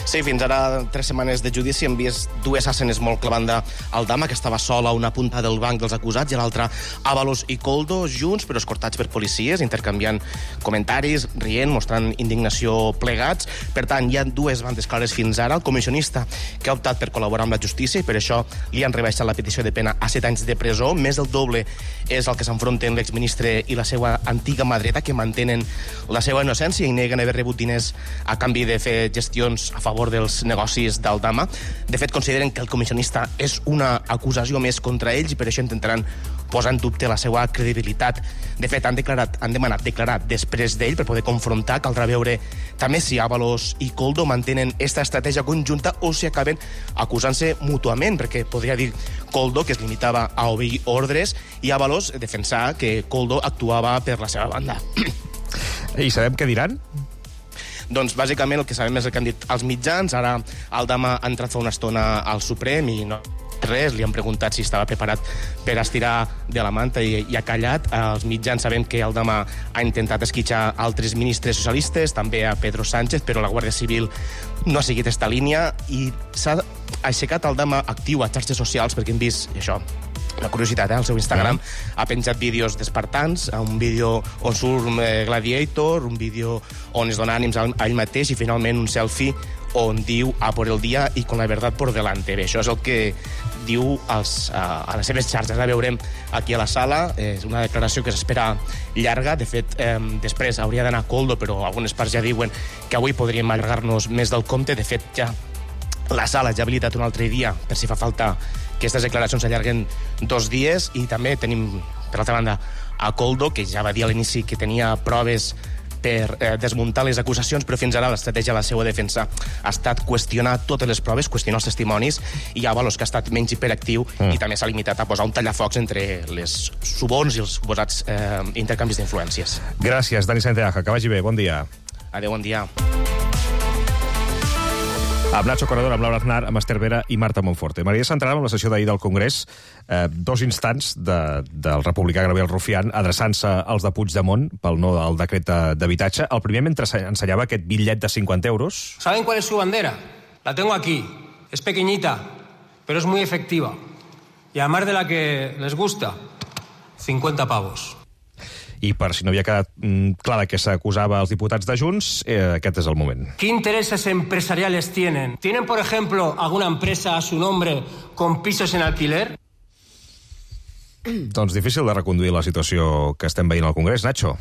Sí, fins ara tres setmanes de judici hem vist dues escenes molt clavant-de Aldama, que estava sola a una punta del banc dels acusats, i a l'altra Ábalos i Koldo, junts però escortats per policies, intercanviant comentaris, rient, mostrant indignació plegats. Per tant, hi ha dues bandes clares fins ara. El comissionista, que ha optat per col·laborar amb la justícia i per això li han rebaixat la petició de pena a set anys de presó. Més del doble és el que s'enfronten l'exministre i la seva antiga mà dreta, que mantenen la seva innocència i neguen haver rebut diners a canvi de fer gestions a favor dels negocis d'Aldama. De fet, consideren que el comissionista és una acusació més contra ells i per això intentaran posar en dubte la seva credibilitat. De fet, han, declarat, han demanat declarar després d'ell per poder confrontar. Caldrà veure també si Ábalos i Koldo mantenen esta estratègia conjunta o si acaben acusant-se mútuament, perquè podria dir Koldo que es limitava a obeir ordres i Ábalos defensar que Koldo actuava per la seva banda. I sabem què diran? Doncs bàsicament el que sabem és el que han dit els mitjans. Ara Aldama ha entrat fa una estona al Suprem i no res, li han preguntat si estava preparat per estirar de la manta i, i ha callat. Els mitjans sabem que Aldama ha intentat esquitxar altres ministres socialistes, també a Pedro Sánchez, però la Guàrdia Civil no ha seguit esta línia i s'ha aixecat Aldama actiu a xarxes socials perquè hem vist això. Una curiositat, eh? Al seu Instagram ha penjat vídeos d'espartans, un vídeo on surt eh, Gladiator, un vídeo on es dona ànims a ell mateix i finalment un selfie on diu a por el dia i con la verdad por delante. Bé, això és el que diu als, a, a les seves xarxes. La veurem aquí a la sala. És una declaració que s'espera llarga. De fet, eh, després hauria d'anar a Koldo, però algunes parts ja diuen que avui podríem allargar-nos més del compte. De fet, ja la sala ja ha habilitat un altre dia per si fa falta que aquestes declaracions s'allarguen dos dies. I també tenim, per altra banda, a Koldo, que ja va dir a l'inici que tenia proves per eh, desmuntar les acusacions, però fins ara l'estratègia de la seva defensa ha estat qüestionar totes les proves, qüestionar els testimonis, i Ábalos, que ha estat menys hiperactiu mm. i també s'ha limitat a posar un tallafocs entre les suborns i els suposats eh, intercanvis d'influències. Gràcies, Dani Sanceaja. Que vagi bé. Bon dia. Adéu, bon dia. Amb Nacho Corredor, amb Laura Aznar, amb Esther Vera i Marta Monforte. M'agradaria centrar-me en la sessió d'ahir del Congrés, eh, dos instants de, del republicà Gabriel Rufián adreçant-se als de Puigdemont pel no del decret d'habitatge. El primer, mentre ensenyava aquest bitllet de cinquanta euros... ¿Saben cuál es su bandera? La tengo aquí. Es pequeñita, pero es muy efectiva. Y además de la que les gusta, cincuenta pavos. I per si no havia quedat mm, clar que s'acusava als diputats de Junts, eh, aquest és el moment. ¿Qué intereses empresariales tienen? ¿Tienen, por ejemplo, alguna empresa a su nombre con pisos en alquiler? Doncs difícil de reconduir la situació que estem veient al Congrés, Nacho.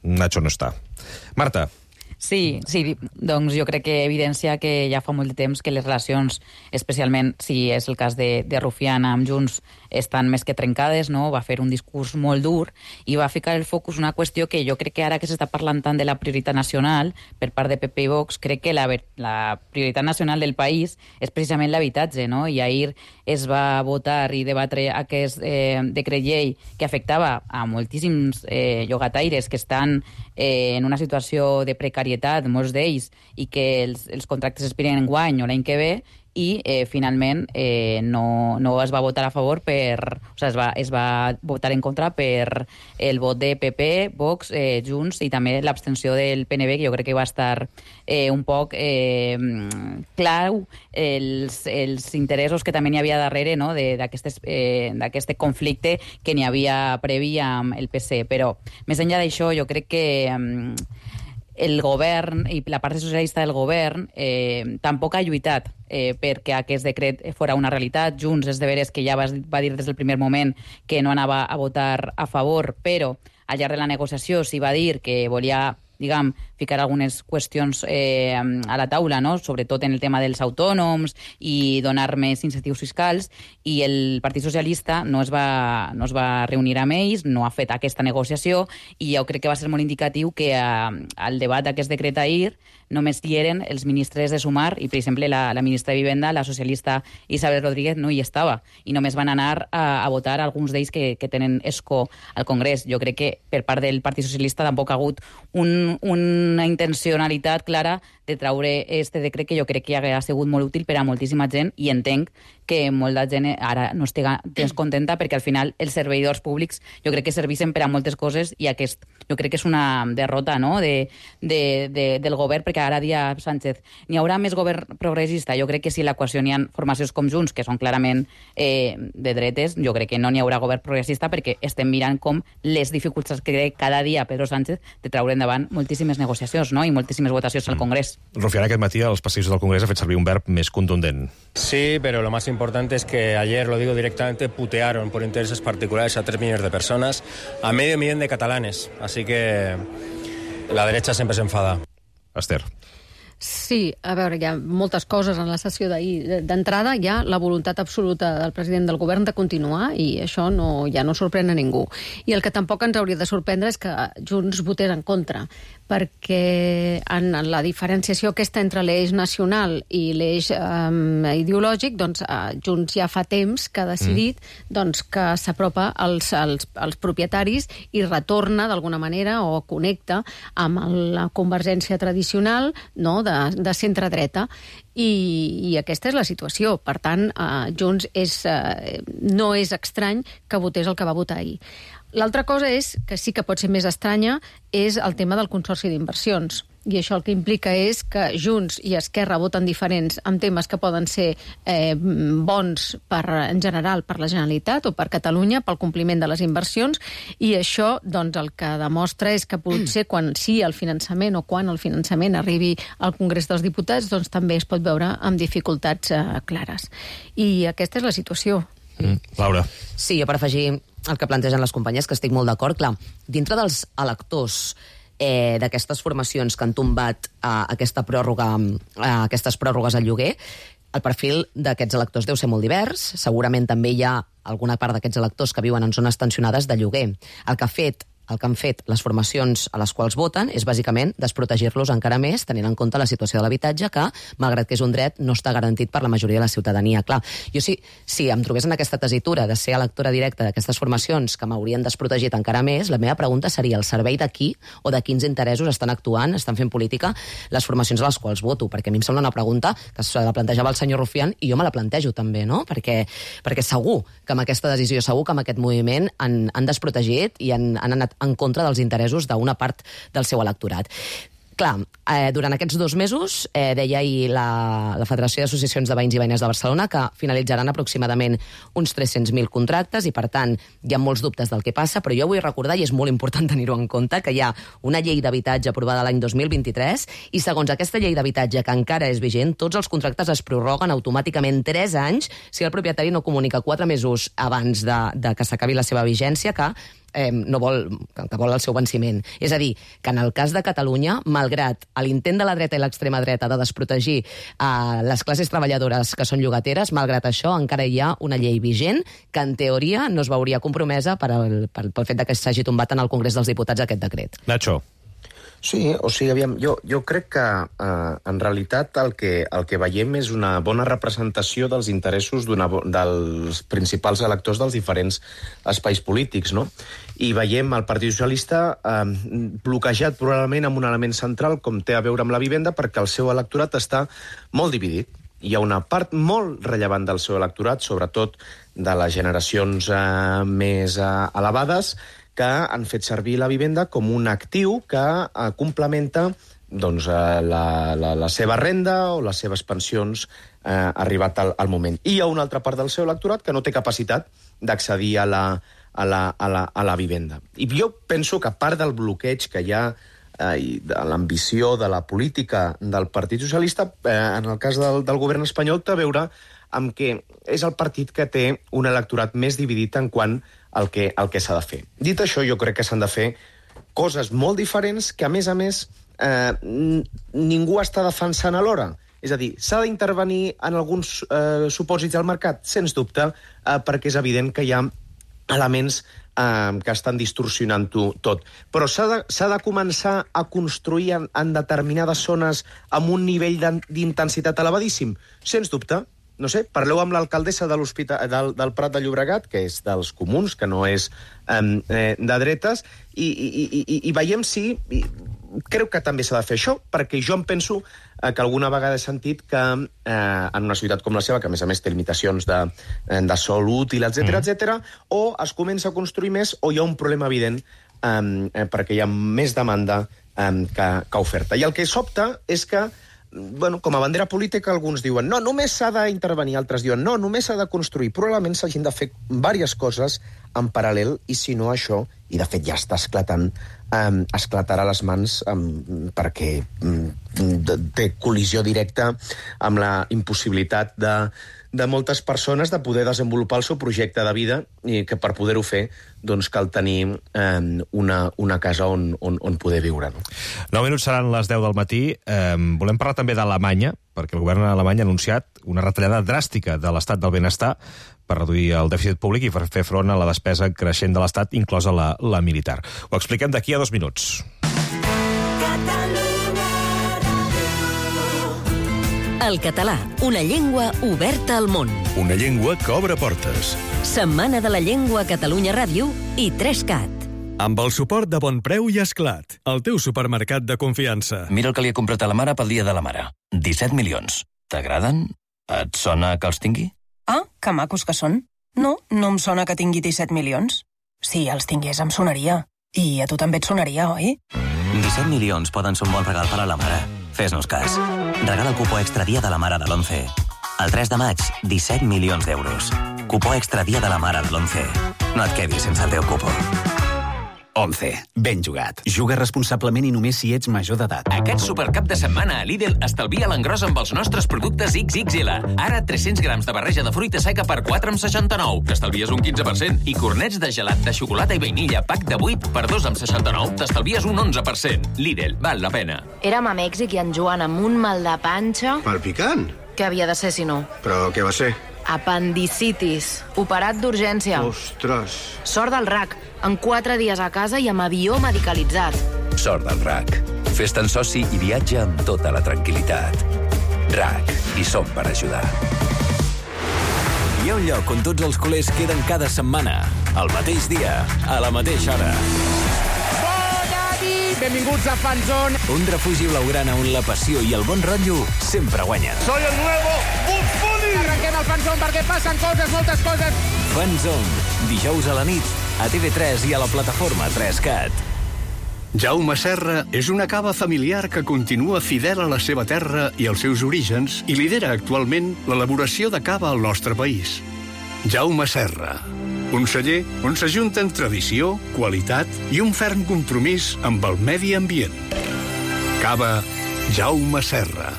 Nacho no està. Marta. Sí, sí, doncs jo crec que evidencia que ja fa molt de temps que les relacions, especialment si és el cas de, de Rufián amb Junts, estan més que trencades, no? Va fer un discurs molt dur i va ficar el focus una qüestió que jo crec que ara que s'està parlant tant de la prioritat nacional per part de P P i Vox, crec que la, la prioritat nacional del país és precisament l'habitatge, no? I ahir es va votar i debatre aquest eh, decret llei que afectava a moltíssims eh, llogataires que estan eh, en una situació de precarietat, molts d'ells, i que els, els contractes expiren en guany o l'any que ve, i eh, finalment eh, no, no es va votar a favor per... O sigui, es va, es va votar en contra per el vot de P P, Vox, eh, Junts i també l'abstenció del P N B, que jo crec que va estar eh, un poc eh, clau els, els interessos que també n'hi havia darrere, no? d'aquest eh, conflicte que n'hi havia previ amb el P S. Però més enllà d'això, jo crec que... Eh, el govern i la part socialista del govern eh, tampoc ha lluitat eh, perquè aquest decret fora una realitat. Junts és de veres que ja va, va dir des del primer moment que no anava a votar a favor, però al llarg de la negociació s'hi va dir que volia, diguem, ficar algunes qüestions eh, a la taula, no? Sobretot en el tema dels autònoms i donar més incentius fiscals, i el Partit Socialista no es va, no es va reunir amb ells, no ha fet aquesta negociació, i jo crec que va ser molt indicatiu que eh, al debat d'aquest decret ahir només hi eren els ministres de Sumar i, per exemple, la, la ministra de Vivenda, la socialista Isabel Rodríguez, no hi estava, i només van anar a, a votar alguns d'ells que, que tenen escó al Congrés. Jo crec que per part del Partit Socialista tampoc ha hagut un, una intencionalitat clara de traure este decret, que jo crec que ha sigut molt útil per a moltíssima gent, i entenc que molta gent ara no estigui descontenta perquè al final els servidors públics jo crec que servissen per a moltes coses, i aquest jo crec que és una derrota, no? de, de, de, del govern, perquè ara dia Sánchez, n'hi haurà més govern progressista? Jo crec que si a l'equació n'hi ha formacions com Junts, que són clarament eh, de dretes, jo crec que no n'hi haurà govern progressista, perquè estem mirant com les dificultats que crec cada dia Pedro Sánchez de treure endavant moltíssimes negociacions, no? I moltíssimes votacions al Congrés. Rufián, aquest matí als passadissos del Congrés ha fet servir un verb més contundent. Sí, pero lo más importante es que ayer, lo digo directamente, putearon por intereses particulares a tres millones de personas, a medio millón de catalanes. Así que la derecha siempre se enfada. Esther. Sí, a veure, hi ha moltes coses en la sessió d'ahir. D'entrada, hi ha la voluntat absoluta del president del govern de continuar, i això no, ja no sorprèn a ningú. I el que tampoc ens hauria de sorprendre és que Junts votés en contra, perquè en la diferenciació aquesta entre l'eix nacional i l'eix um, ideològic, doncs uh, Junts ja fa temps que ha decidit mm. doncs, que s'apropa als, als, als propietaris i retorna d'alguna manera o connecta amb la convergència tradicional, no?, de, de centre-dreta, i, i aquesta és la situació. Per tant, uh, Junts és, uh, no és estrany que votés el que va votar ahir. L'altra cosa és, que sí que pot ser més estranya, és el tema del Consorci d'Inversions. I això el que implica és que Junts i Esquerra voten diferents en temes que poden ser eh, bons per, en general per la Generalitat o per Catalunya, pel compliment de les inversions, i això doncs, el que demostra és que potser quan sí el finançament o quan el finançament arribi al Congrés dels Diputats, doncs també es pot veure amb dificultats eh, clares. I aquesta és la situació. Mm. Laura. Sí, jo per afegir el que plantegen les companyes, que estic molt d'acord, clar, dintre dels electors eh, d'aquestes formacions que han tombat eh, aquesta pròrroga, eh, aquestes pròrrogues al lloguer, el perfil d'aquests electors deu ser molt divers. Segurament també hi ha alguna part d'aquests electors que viuen en zones tensionades de lloguer. El que ha fet el que han fet les formacions a les quals voten és bàsicament desprotegir-los encara més, tenint en compte la situació de l'habitatge, que, malgrat que és un dret, no està garantit per la majoria de la ciutadania. Clar, jo si, si em trobés en aquesta tesitura de ser electora directa d'aquestes formacions que m'haurien desprotegit encara més, la meva pregunta seria el servei de qui o de quins interessos estan actuant, estan fent política les formacions a les quals voto, perquè a mi em sembla una pregunta que se la plantejava el senyor Rufián i jo me la plantejo també, no? Perquè, perquè segur que amb aquesta decisió, segur que amb aquest moviment han, han desprotegit i han, han anat en contra dels interessos d'una part del seu electorat. Clar, eh, durant aquests dos mesos, eh, deia ahir la, la Federació d'Associacions de Veïns i Veïnes de Barcelona que finalitzaran aproximadament uns tres-cents mil contractes i, per tant, hi ha molts dubtes del que passa, però jo vull recordar, i és molt important tenir-ho en compte, que hi ha una llei d'habitatge aprovada l'any dos mil vint-i-tres i, segons aquesta llei d'habitatge, que encara és vigent, tots els contractes es prorroguen automàticament tres anys si el propietari no comunica quatre mesos abans de, de que s'acabi la seva vigència que eh, no vol, que vol el seu venciment. És a dir, que en el cas de Catalunya, malgrat l'intent de la dreta i l'extrema dreta de desprotegir eh, les classes treballadores que són llogateres, malgrat això encara hi ha una llei vigent que en teoria no es veuria compromesa per al, per, pel fet que s'hagi tombat en el Congrés dels Diputats aquest decret. Nacho. Sí, o sigui, aviam, jo, jo crec que eh, en realitat el que, el que veiem és una bona representació dels interessos d'una, dels principals electors dels diferents espais polítics, no? I veiem el Partit Socialista eh, bloquejat probablement amb un element central com té a veure amb la vivenda, perquè el seu electorat està molt dividit. Hi ha una part molt rellevant del seu electorat, sobretot de les generacions eh, més eh, elevades, que han fet servir la vivenda com un actiu que eh, complementa doncs, eh, la, la, la seva renda o les seves pensions eh, arribat al, al moment. I hi ha una altra part del seu electorat que no té capacitat d'accedir a la, a, la, a, la, a la vivenda. I jo penso que part del bloqueig que hi ha eh, i de l'ambició de la política del Partit Socialista, eh, en el cas del, del govern espanyol, té a veure amb que és el partit que té un electorat més dividit en quant el que, el que s'ha de fer. Dit això, jo crec que s'han de fer coses molt diferents que, a més a més, eh, ningú està defensant alhora. És a dir, s'ha d'intervenir en alguns eh, supòsits del mercat? Sens dubte, eh, perquè és evident que hi ha elements eh, que estan distorsionant-ho tot. Però s'ha de, s'ha de començar a construir en, en determinades zones amb un nivell d'intensitat elevadíssim? Sens dubte. No sé, parleu amb l'alcaldessa de del, del Prat de Llobregat, que és dels comuns, que no és eh, de dretes, i, i, i, i veiem si... I, crec que també s'ha de fer això, perquè jo em penso eh, que alguna vegada he sentit que eh, en una ciutat com la seva, que a més a més té limitacions de, de sol útil, etcètera, mm. etcètera, o es comença a construir més o hi ha un problema evident eh, perquè hi ha més demanda eh, que, que oferta. I el que sobta és que bueno, com a bandera política alguns diuen no, només s'ha d'intervenir, altres diuen no, només s'ha de construir. Probablement s'hagin de fer diverses coses en paral·lel i si no això, i de fet ja està esclatant, um, esclatarà les mans um, perquè um, té col·lisió directa amb la impossibilitat de, de moltes persones de poder desenvolupar el seu projecte de vida i que per poder-ho fer doncs cal tenir um, una, una casa on, on, on poder viure. No? nou minuts seran les deu del matí. Um, volem parlar també d'Alemanya, perquè el govern alemany ha anunciat una retallada dràstica de l'estat del benestar per reduir el dèficit públic i per fer front a la despesa creixent de l'estat, inclosa la, la militar. Ho expliquem d'aquí a dos minuts. El català, una llengua oberta al món. Una llengua que obre portes. Setmana de la Llengua a Catalunya Ràdio i tres cat. Amb el suport de Bon Preu i Esclat, el teu supermercat de confiança. Mira el que li he comprat a la mare pel dia de la mare. disset milions. T'agraden? Et sona que els tingui? Ah, que macos que són. No, no em sona que tingui disset milions. Si els tingués em sonaria. I a tu també et sonaria, oi? disset milions poden ser un bon regal per a la mare. Fes-nos cas. Regala el cupó extra dia de la mare de l'onze. El tres de maig, disset milions d'euros. Cupó extra dia de la mare de l'onze. No et quedis sense el teu cupó. onze. Ben jugat. Juga responsablement i només si ets major d'edat. Aquest supercap de setmana a Lidl estalvia l'engròs amb els nostres productes ics ics ele. Ara tres-cents grams de barreja de fruita seca per quatre amb seixanta-nou. T'estalvies un quinze per cent. I cornets de gelat de xocolata i vainilla pack de vuit per dos amb seixanta-nou. T'estalvies un onze per cent. Lidl, val la pena. Érem a Mèxic i en Joan amb un mal de panxa... Palpicant? Què havia de ser, si no? Però què va ser? Apendicitis. Operat d'urgència. Ostres. Sort del R A C. En quatre dies a casa i amb avió medicalitzat. Sort del R A C. Fes-te'n soci i viatja amb tota la tranquil·litat. R A C. Hi som per ajudar. Hi ha un lloc on tots els culers queden cada setmana. Al mateix dia, a la mateixa hora. Bona nit! Benvinguts a Fanzone. Un refugi blaugrana on la passió i el bon rotllo sempre guanyen. Soy el nuevo Bugs Bunny! Arrenquem el Fanzone perquè passen coses, moltes coses. Fanzone, dijous a la nit, a T V tres i a la plataforma tres cat. Jaume Serra és una cava familiar que continua fidel a la seva terra i als seus orígens i lidera actualment l'elaboració de cava al nostre país. Jaume Serra, un celler on s'ajunten tradició, qualitat i un ferm compromís amb el medi ambient. Cava Jaume Serra.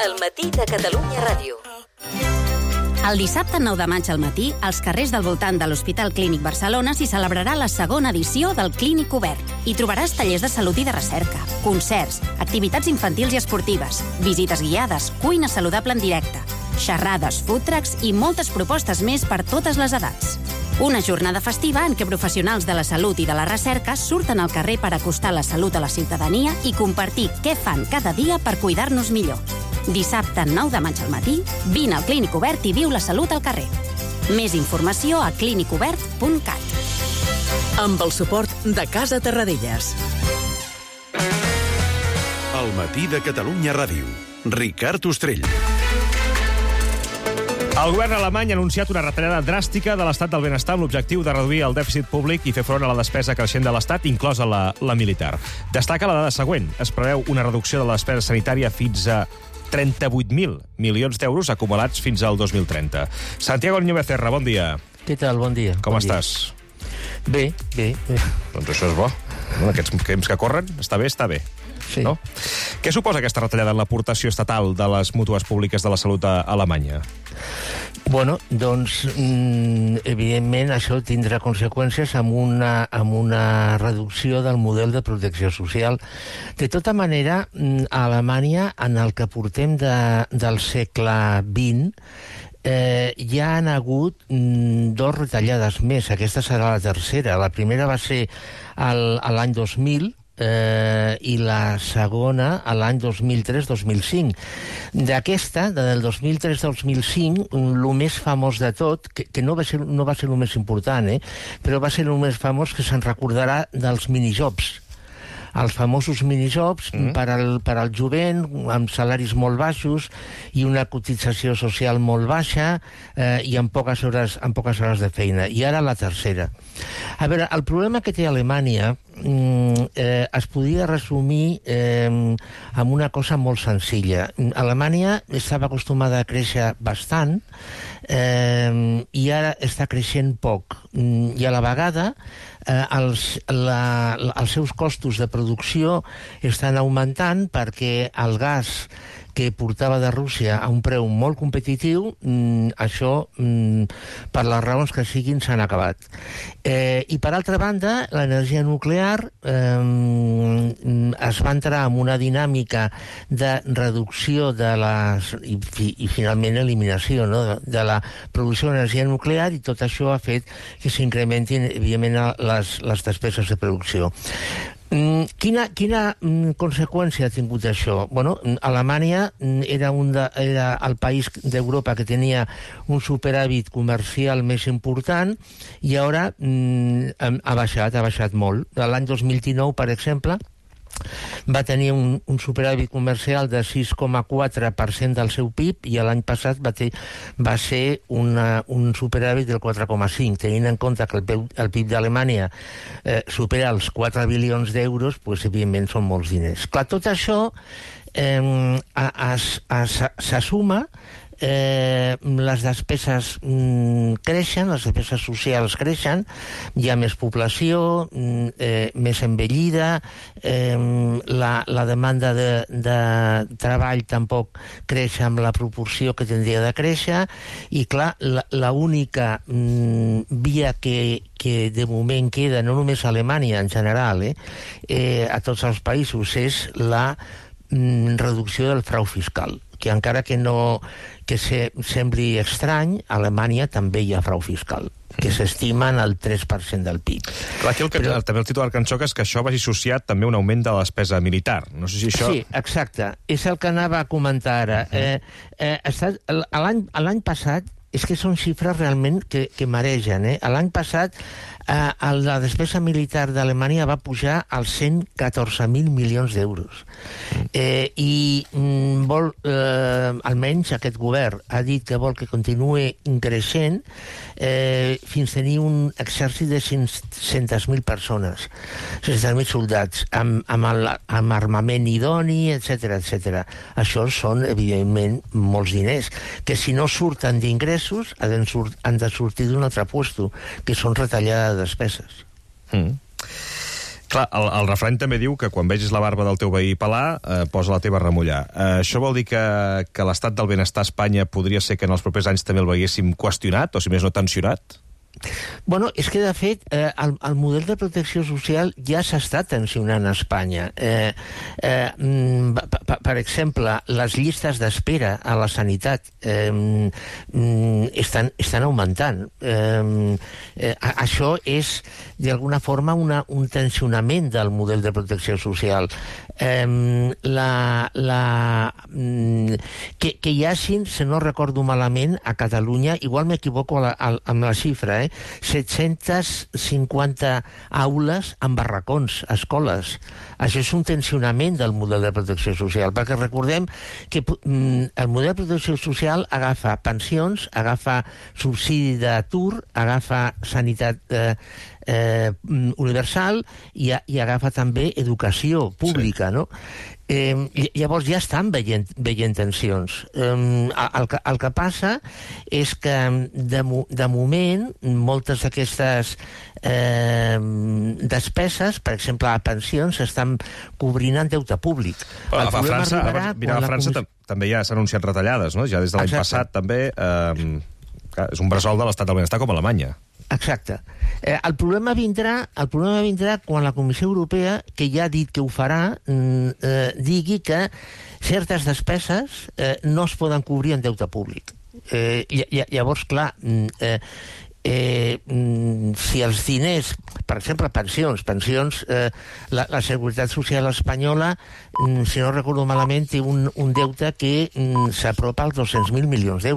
El matí de Catalunya Ràdio. El dissabte nou de maig al matí, als carrers del voltant de l'Hospital Clínic Barcelona s'hi celebrarà la segona edició del Clínic Obert. Hi trobaràs tallers de salut i de recerca, concerts, activitats infantils i esportives, visites guiades, cuina saludable en directe, xerrades, food trucks i moltes propostes més per totes les edats. Una jornada festiva en què professionals de la salut i de la recerca surten al carrer per acostar la salut a la ciutadania i compartir què fan cada dia per cuidar-nos millor. Dissabte nou de maig al matí, vine al Clínic Obert i viu la salut al carrer. Més informació a clínic obert punt cat. Amb el suport de Casa Terradellas. El matí de Catalunya Ràdio. Ricard Ostrell. El govern alemany ha anunciat una retallada dràstica de l'estat del benestar amb l'objectiu de reduir el dèficit públic i fer front a la despesa creixent de l'estat, inclosa la, la militar. Destaca la dada següent. Es preveu una reducció de la despesa sanitària fins a trenta-vuit mil milions d'euros acumulats fins al dos mil trenta. Santiago Niño Becerra, bon dia. Què tal? Bon dia. Com bon estàs? Dia. Bé, bé, bé. Doncs això és bo. En aquests temps que corren, està bé, està bé. Sí. No? Què suposa aquesta retallada en l'aportació estatal de les mútues públiques de la salut a Alemanya? Bueno, doncs, mm, evidentment, això tindrà conseqüències amb una, amb una reducció del model de protecció social. De tota manera, a Alemanya, en el que portem de, del segle vint, eh, ja han hagut mm, dos retallades més. Aquesta serà la tercera. La primera va ser el, l'any dos mil, Eh, i la segona a l'any dos mil tres dos mil cinc. D'aquesta, del dos mil tres dos mil cinc, el més famós de tot, que, que no va ser, no va ser el més important, eh, però va ser el més famós, que se'n recordarà dels minijobs. Els famosos minijobs mm. per, al, per al jovent, amb salaris molt baixos i una cotització social molt baixa eh, i amb poques, hores, amb poques hores de feina. I ara la tercera. A veure, el problema que té Alemanya mm, eh, es podria resumir eh, amb una cosa molt senzilla. Alemanya estava acostumada a créixer bastant eh, i ara està creixent poc. I a la vegada eh, els, la, els seus costos de producció estan augmentant perquè el gas que portava de Rússia a un preu molt competitiu, mm, això, mm, per les raons que siguin, s'han acabat. Eh, I, per altra banda, l'energia nuclear eh, es va entrar en una dinàmica de reducció de les... i, i finalment, eliminació, no?, de, de la producció d'energia nuclear, i tot això ha fet que s'incrementin, evidentment, les, les despeses de producció. Mm, quina, quina mm, conseqüència ha tingut això? Bueno, Alemanya mm, era, un de, era el país d'Europa que tenia un superàvit comercial més important i ara mm, ha baixat, ha baixat molt. L'any dos mil dinou, per exemple, va tenir un, un superàvit comercial de sis coma quatre per cent del seu P I B i l'any passat va, ter, va ser una, un superàvit del quatre coma cinc. Tenint en compte que el, el P I B d'Alemanya eh, supera els quatre bilions d'euros, pues, evidentment són molts diners. Clar, tot això eh, s'assuma Eh, les despeses mm, creixen, les despeses socials creixen, hi ha més població, mm, eh, més envellida, eh, la, la demanda de, de treball tampoc creix amb la proporció que tindria de créixer, i clar, l'única mm, via que, que de moment queda, no només a Alemanya en general, eh, eh, a tots els països, és la mm, reducció del frau fiscal, que encara que no que se, sembli estrany, a Alemanya també hi ha frau fiscal, que s'estima en el tres per cent del P I B. Clar, aquí el que, Però, també el titular que ens xoca és que això vagi associat també a un augment de la despesa militar. No sé si això... Sí, exacte. És el que anava a comentar ara. Uh -huh. eh, eh, L'any passat, és que són xifres realment que, que maregen. Eh? L'any passat eh, la despesa militar d'Alemanya va pujar als cent i catorze mil milions d'euros. Eh, I mm, vol, eh, almenys aquest govern ha dit que vol que continuï creixent eh, fins a tenir un exèrcit de cinc-centes mil persones, cinc-centes mil soldats, amb, amb, el, amb armament idoni, etcètera, etcètera. Això són, evidentment, molts diners, que si no surten d'ingressos han, sur han de sortir d'un altre puesto, que són retallades de despeses. Mm. Clar, el, el refrany també diu que quan vegis la barba del teu veí pelar, eh, posa la teva a remullar. Eh, això vol dir que, que l'estat del benestar a Espanya podria ser que en els propers anys també el veiéssim qüestionat, o si més no tensionat? Bueno, és que, de fet, eh, el, el model de protecció social ja s'està tensionant a Espanya. Eh, eh, per, per exemple, les llistes d'espera a la sanitat eh, estan, estan augmentant. Eh, eh, això és, d'alguna forma, una, un tensionament del model de protecció social. Eh, la, la, que, que hi hagin, si no recordo malament, a Catalunya, igual m'equivoco amb la xifra, eh, set-centes cinquanta aules amb barracons, escoles. Això és un tensionament del model de protecció social, perquè recordem que mm, el model de protecció social agafa pensions, agafa subsidi d'atur, agafa sanitat eh, eh, universal i, i agafa també educació pública, sí. No? Eh, llavors ja estan veient, veient tensions. Eh, el, que, el que passa és que de, de moment moltes d'aquestes eh, despeses, per exemple a pensions, s'estan cobrint en deute públic. El a França, a, mira, a França comis... també ja s'han anunciat retallades, no? Ja des de l'any passat també eh, és un bressol de l'estat del benestar com a Alemanya. Exacte. Eh, el problema vindrà el problema vindrà quan la Comissió Europea, que ja ha dit que ho farà, eh, digui que certes despeses eh, no es poden cobrir en deute públic. Eh, llavors, clar, eh, Eh, si els diners, per exemple, pensions, pensions, eh, la, la Seguretat Social espanyola, si no recordo malament, té un, un deute que s'apropa als dos-cents mil milions d'euros.